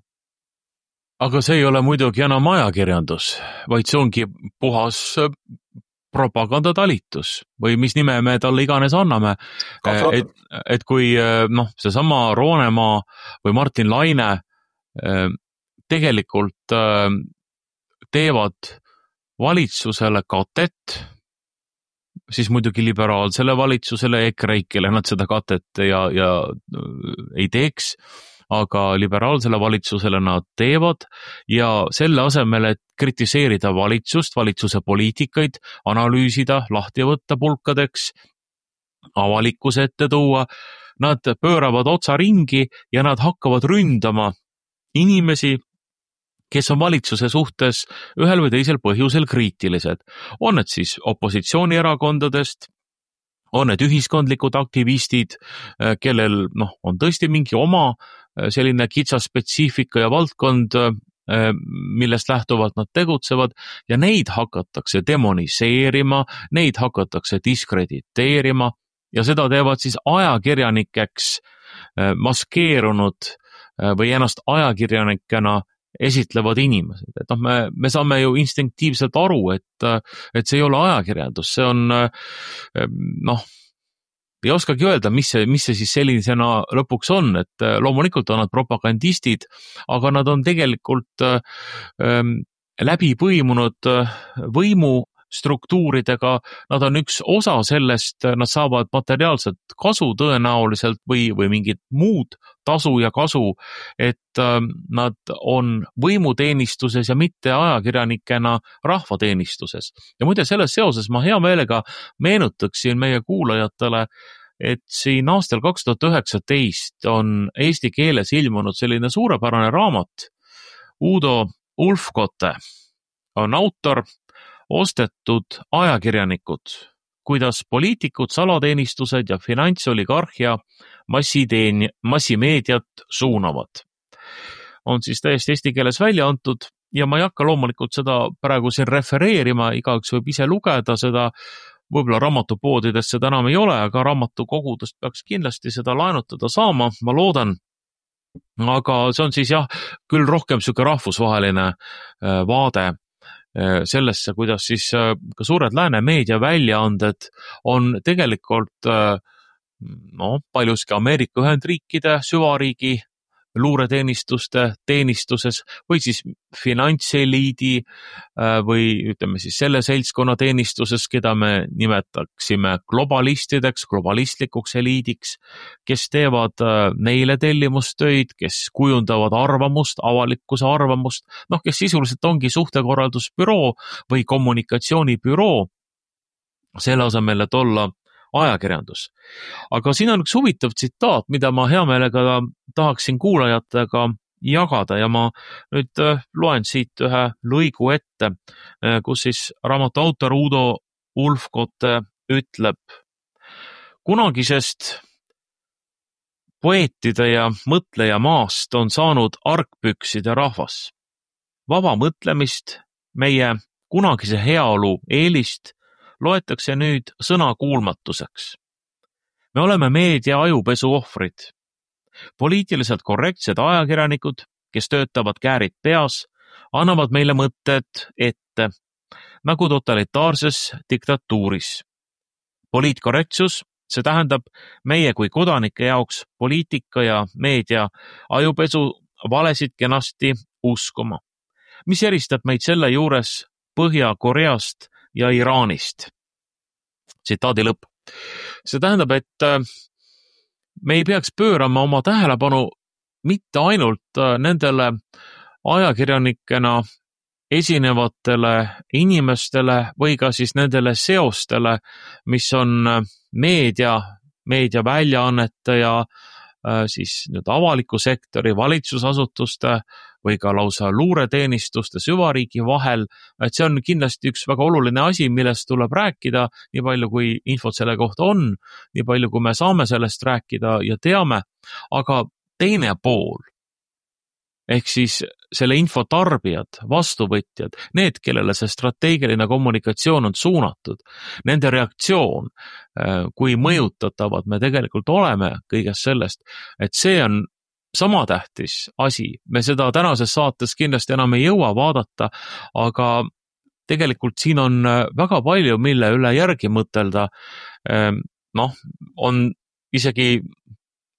Aga see ei ole muidugi enam ajakirjandus, vaid see ongi puhas propagandatalitus või mis nime me talle iganes anname. Et kui seesama Roonemaa või Martin Laine tegelikult teevad valitsusele katet, siis muidugi liberaalsele valitsusele EKRE-ikele nad seda katet ja ei teeks, aga liberaalsele valitsusele nad teevad ja selle asemel, et kritiseerida valitsust, valitsuse poliitikaid, analüüsida, lahti võtta pulkadeks, avalikkuse ette tuua, nad pööravad otsa ringi ja nad hakkavad ründama inimesi, kes on valitsuse suhtes ühel või teisel põhjusel kriitilised. On need siis opositsioonierakondadest, on need ühiskondlikud aktivistid, kellel on tõesti mingi oma selline kitsas spetsiifika ja valdkond, millest lähtuvalt nad tegutsevad ja neid hakatakse demoniseerima, neid hakatakse diskrediteerima ja seda teevad siis ajakirjanikeks maskeerunud või ennast ajakirjanikena esitlevad inimesed. Et me saame ju instinktiivselt aru, et see ei ole ajakirjandus, see on ei oskagi öelda, mis see siis sellisena lõpuks on, et loomulikult on nad propagandistid, aga nad on tegelikult läbi põimunud võimustruktuuridega, nad on üks osa sellest, nad saavad materiaalset kasu tõenäoliselt või mingit muud tasu ja kasu, et nad on võimuteenistuses ja mitte ajakirjanikena rahvateenistuses. Ja muide, selles seoses ma hea meelega meenutaksin meie kuulajatele, et siin aastal 2019 on eesti keeles ilmunud selline suurepärane raamat. Udo Ulfkotte on autor, ostetud ajakirjanikud, kuidas poliitikud, salateenistused ja finantsoligarhia massimeediat suunavad. On siis täiesti eesti keeles välja antud ja ma ei hakka loomulikult seda praegu siin refereerima, igaüks võib ise lugeda seda, võib-olla raamatupoodidest seda enam ei ole, aga raamatukogudest peaks kindlasti seda laenutada saama, ma loodan. Aga see on siis küll rohkem selline rahvusvaheline vaade sellesse, kuidas siis ka suured lääne meedia väljaanded on tegelikult paljuski Ameerika Ühendriikide süvariigi luureteenistuste teenistuses või siis finantseliidi või ütleme siis selle seltskonna teenistuses, keda me nimetaksime globalistideks, globalistlikuks eliidiks, kes teevad neile tellimustöid, kes kujundavad arvamust, avalikkuse arvamust, kes sisuliselt ongi suhtekorraldusbüroo või kommunikatsioonibüroo, selle asemel, et olla ajakirjandus. Aga siin on üks huvitav tsitaat, mida ma hea meelega tahaksin kuulajatega jagada ja ma nüüd loen siit ühe lõigu ette, kus siis raamatu autor Udo Ulfkotte ütleb: kunagisest poeetide ja mõtleja maast on saanud argpükside rahvas. Vaba mõtlemist, meie kunagise heaolu eelist loetakse nüüd sõnakuulmatuseks. Me oleme meedia ajupesu ohvrid. Poliitiliselt korrektsed ajakirjanikud, kes töötavad käärid peas, annavad meile mõtted ette, nagu totalitaarses diktatuuris. Poliitkorrektsus, see tähendab meie kui kodanike jaoks poliitika ja meedia ajupesu valesid kenasti uskuma, mis eristab meid selle juures Põhja-Koreast ja Iraanist. Tsitaadi lõpp. See tähendab, et me ei peaks pöörama oma tähelepanu mitte ainult nendele ajakirjanikena esinevatele inimestele või ka siis nendele seostele, mis on meediaväljaannete ja siis nüüd avaliku sektori, valitsusasutuste või ka lausa luureteenistuste süvariigi vahel, et see on kindlasti üks väga oluline asi, millest tuleb rääkida, nii palju kui infot selle kohta on, nii palju kui me saame sellest rääkida ja teame, aga teine pool, ehk siis selle info tarbijad, vastuvõtjad, need, kellele see strateegiline kommunikatsioon on suunatud, nende reaktsioon, kui mõjutatavad me tegelikult oleme kõigest sellest, et see on sama tähtis asi. Me seda tänases saates kindlasti enam ei jõua vaadata, aga tegelikult siin on väga palju, mille üle järgi mõtelda. On isegi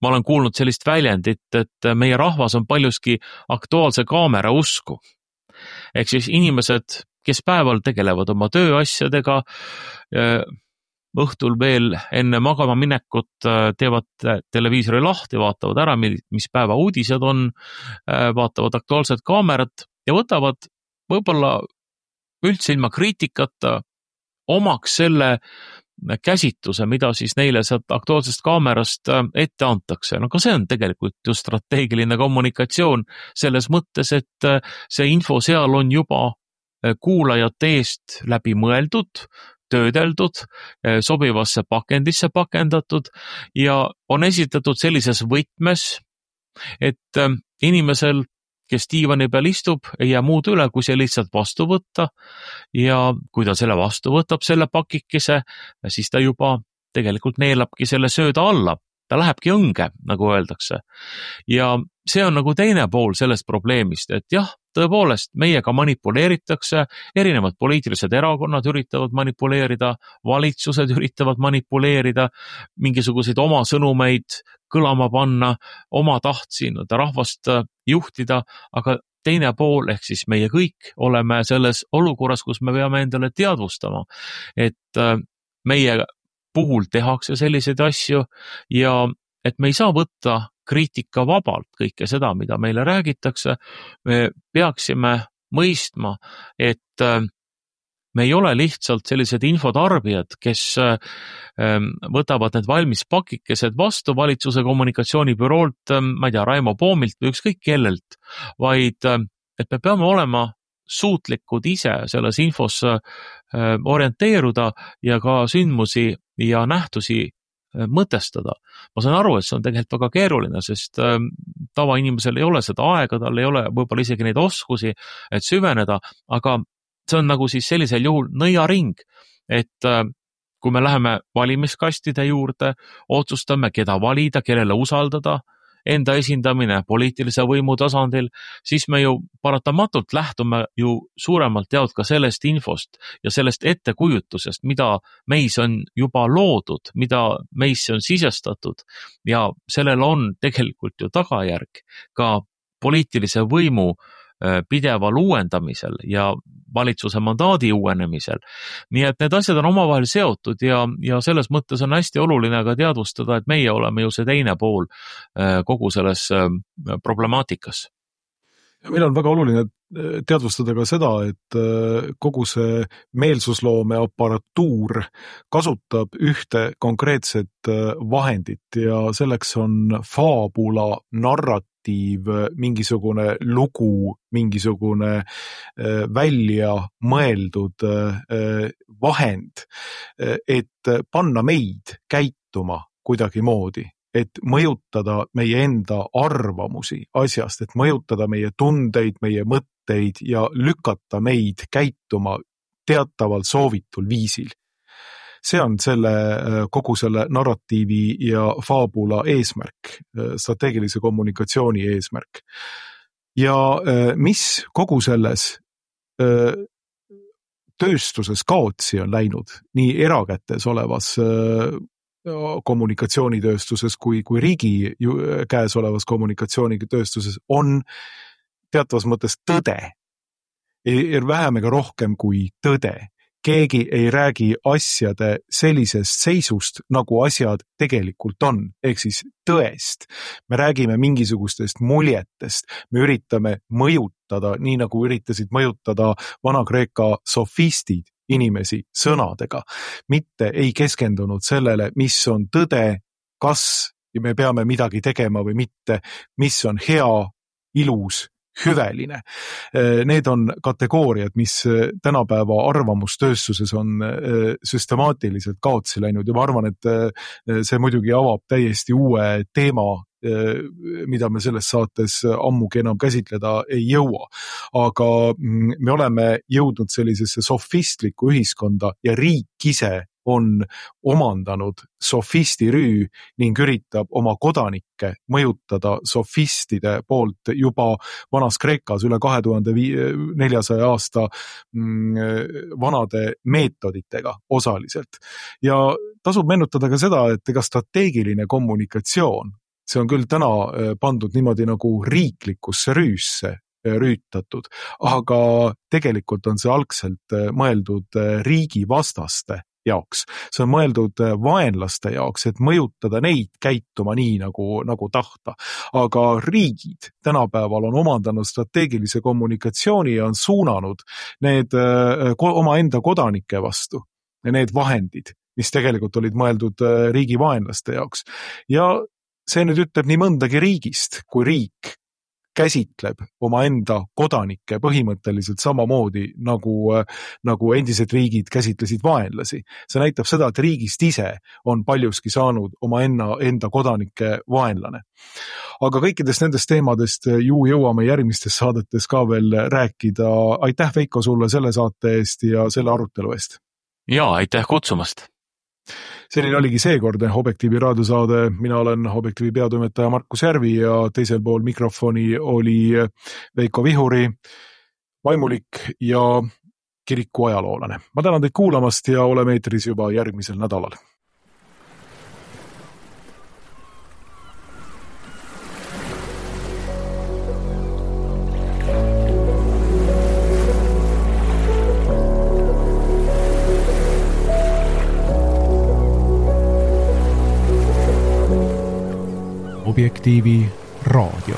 ma olen kuulnud sellist väljendit, et meie rahvas on paljuski Aktuaalse Kaamera usku. Ehk siis inimesed, kes päeval tegelevad oma tööasjadega, õhtul veel enne magama minekut teevad televiisori lahti, vaatavad ära, mis päeva uudised on, vaatavad Aktuaalset Kaamerat ja võtavad võib-olla üldse ilma kriitikata omaks selle käsitluse, mida siis neile sealt Aktuaalsest Kaamerast ette antakse. Ka see on tegelikult ju strateegiline kommunikatsioon selles mõttes, et see info seal on juba kuulajate eest läbi mõeldud, töödeldud, sobivasse pakendisse pakendatud ja on esitatud sellises võtmes, et inimesel, kes diivani peal istub, ei jää muud üle, kui see lihtsalt vastu võtta ja kui ta selle vastu võtab, selle pakikese, siis ta juba tegelikult neelabki selle sööda alla. Ta lähebki õnge, nagu öeldakse. Ja see on nagu teine pool sellest probleemist, et jah, tõepoolest, meiega manipuleeritakse, erinevad poliitilised erakonnad üritavad manipuleerida, valitsused üritavad manipuleerida, mingisuguseid oma sõnumeid kõlama panna, oma tahtsi rahvast juhtida, aga teine pool, ehk siis meie kõik oleme selles olukorras, kus me peame endale teadvustama, et meie puhul tehakse selliseid asju ja et me ei saa võtta kriitika vabalt kõike seda, mida meile räägitakse. Me peaksime mõistma, et me ei ole lihtsalt sellised infotarbijad, kes võtavad need valmis pakikesed vastu valitsuse kommunikatsioonibüroolt, ma ei tea, Raimo Poomilt või ükskõik kellelt, vaid et me peame olema suutlikud ise selles infos orienteeruda ja ka sündmusi ja nähtusi mõtestada. Ma saan aru, et see on tegelikult väga keeruline, sest tavainimesel ei ole seda aega, tal ei ole võib-olla isegi neid oskusi, et süveneda, aga see on nagu siis sellisel juhul nõiaring, et kui me läheme valimiskastide juurde, otsustame, keda valida, kellele usaldada, enda esindamine poliitilise võimu tasandil, siis me ju paratamatult lähtume ju suuremalt jaolt ka sellest infost ja sellest ettekujutusest, mida meis on juba loodud, mida meisse on sisestatud ja sellel on tegelikult ju tagajärg ka poliitilise võimu pideval uuendamisel ja valitsuse mandaadi uuenemisel. Nii et need asjad on omavahel seotud ja selles mõttes on hästi oluline ka teadvustada, et meie oleme ju see teine pool kogu selles problemaatikas. Meil on väga oluline teadvustada ka seda, et kogu see meelsusloome aparatuur kasutab ühte konkreetset vahendit ja selleks on faabula, narratiiv, mingisugune lugu, mingisugune välja mõeldud vahend, et panna meid käituma kuidagi moodi, et mõjutada meie enda arvamusi asjast, et mõjutada meie tundeid, meie mõtteid ja lükata meid käituma teataval soovitul viisil. See on kogu selle narratiivi ja faabula eesmärk, strateegilise kommunikatsiooni eesmärk. Ja mis kogu selles tööstuses kaotsi on läinud, nii erakätes olevas kommunikatsioonitööstuses kui riigi käes olevas kommunikatsioonitööstuses, on teatavas mõttes tõde. Vähem ega rohkem kui tõde. Keegi ei räägi asjade sellisest seisust, nagu asjad tegelikult on, ehk siis tõest. Me räägime mingisugustest muljetest, me üritame mõjutada, nii nagu üritasid mõjutada Vana-Kreeka sofistid inimesi sõnadega, mitte ei keskendunud sellele, mis on tõde, kas me peame midagi tegema või mitte, mis on hea, ilus, hüveline. Need on kategooriad, mis tänapäeva arvamustööstuses on süstemaatiliselt kaotsi läinud ja ma arvan, et see muidugi avab täiesti uue teema, mida me selles saates ammugi enam käsitleda ei jõua. Aga me oleme jõudnud sellisesse sofistlikku ühiskonda ja riik ise on omandanud sofistirüü ning üritab oma kodanikke mõjutada sofistide poolt juba Vanas Kreekas üle 2400 aasta vanade meetoditega osaliselt. Ja tasub meenutada ka seda, et ega strateegiline kommunikatsioon, see on küll täna pandud niimoodi nagu riiklikusse rüüsse rüütatud, aga tegelikult on see algselt mõeldud riigi vastaste jaoks. See on mõeldud vaenlaste jaoks, et mõjutada neid käituma nii, nagu tahta. Aga riigid tänapäeval on omandanud strateegilise kommunikatsiooni ja on suunanud need oma enda kodanike vastu, need vahendid, mis tegelikult olid mõeldud riigi vaenlaste jaoks. Ja see nüüd ütleb nii mõndagi riigist, kui riik käsitleb oma enda kodanikke põhimõtteliselt samamoodi, nagu endised riigid käsitlesid vaenlasi. See näitab seda, et riigist ise on paljuski saanud oma enda kodanike vaenlane. Aga kõikidest nendest teemadest ju jõuame järgmistes saadetes ka veel rääkida. Aitäh, Veiko, sulle selle saate eest ja selle arutelu eest. Ja, aitäh kutsumast! Selline oligi seekordne Objektiivi raadiosaade. Mina olen Objektiivi peatoimetaja Markus Järvi ja teisel pool mikrofoni oli Veiko Vihuri, vaimulik ja kiriku ajaloolane. Ma tänan teid kuulamast ja oleme eetris juba järgmisel nädalal. Objektiivi raadio.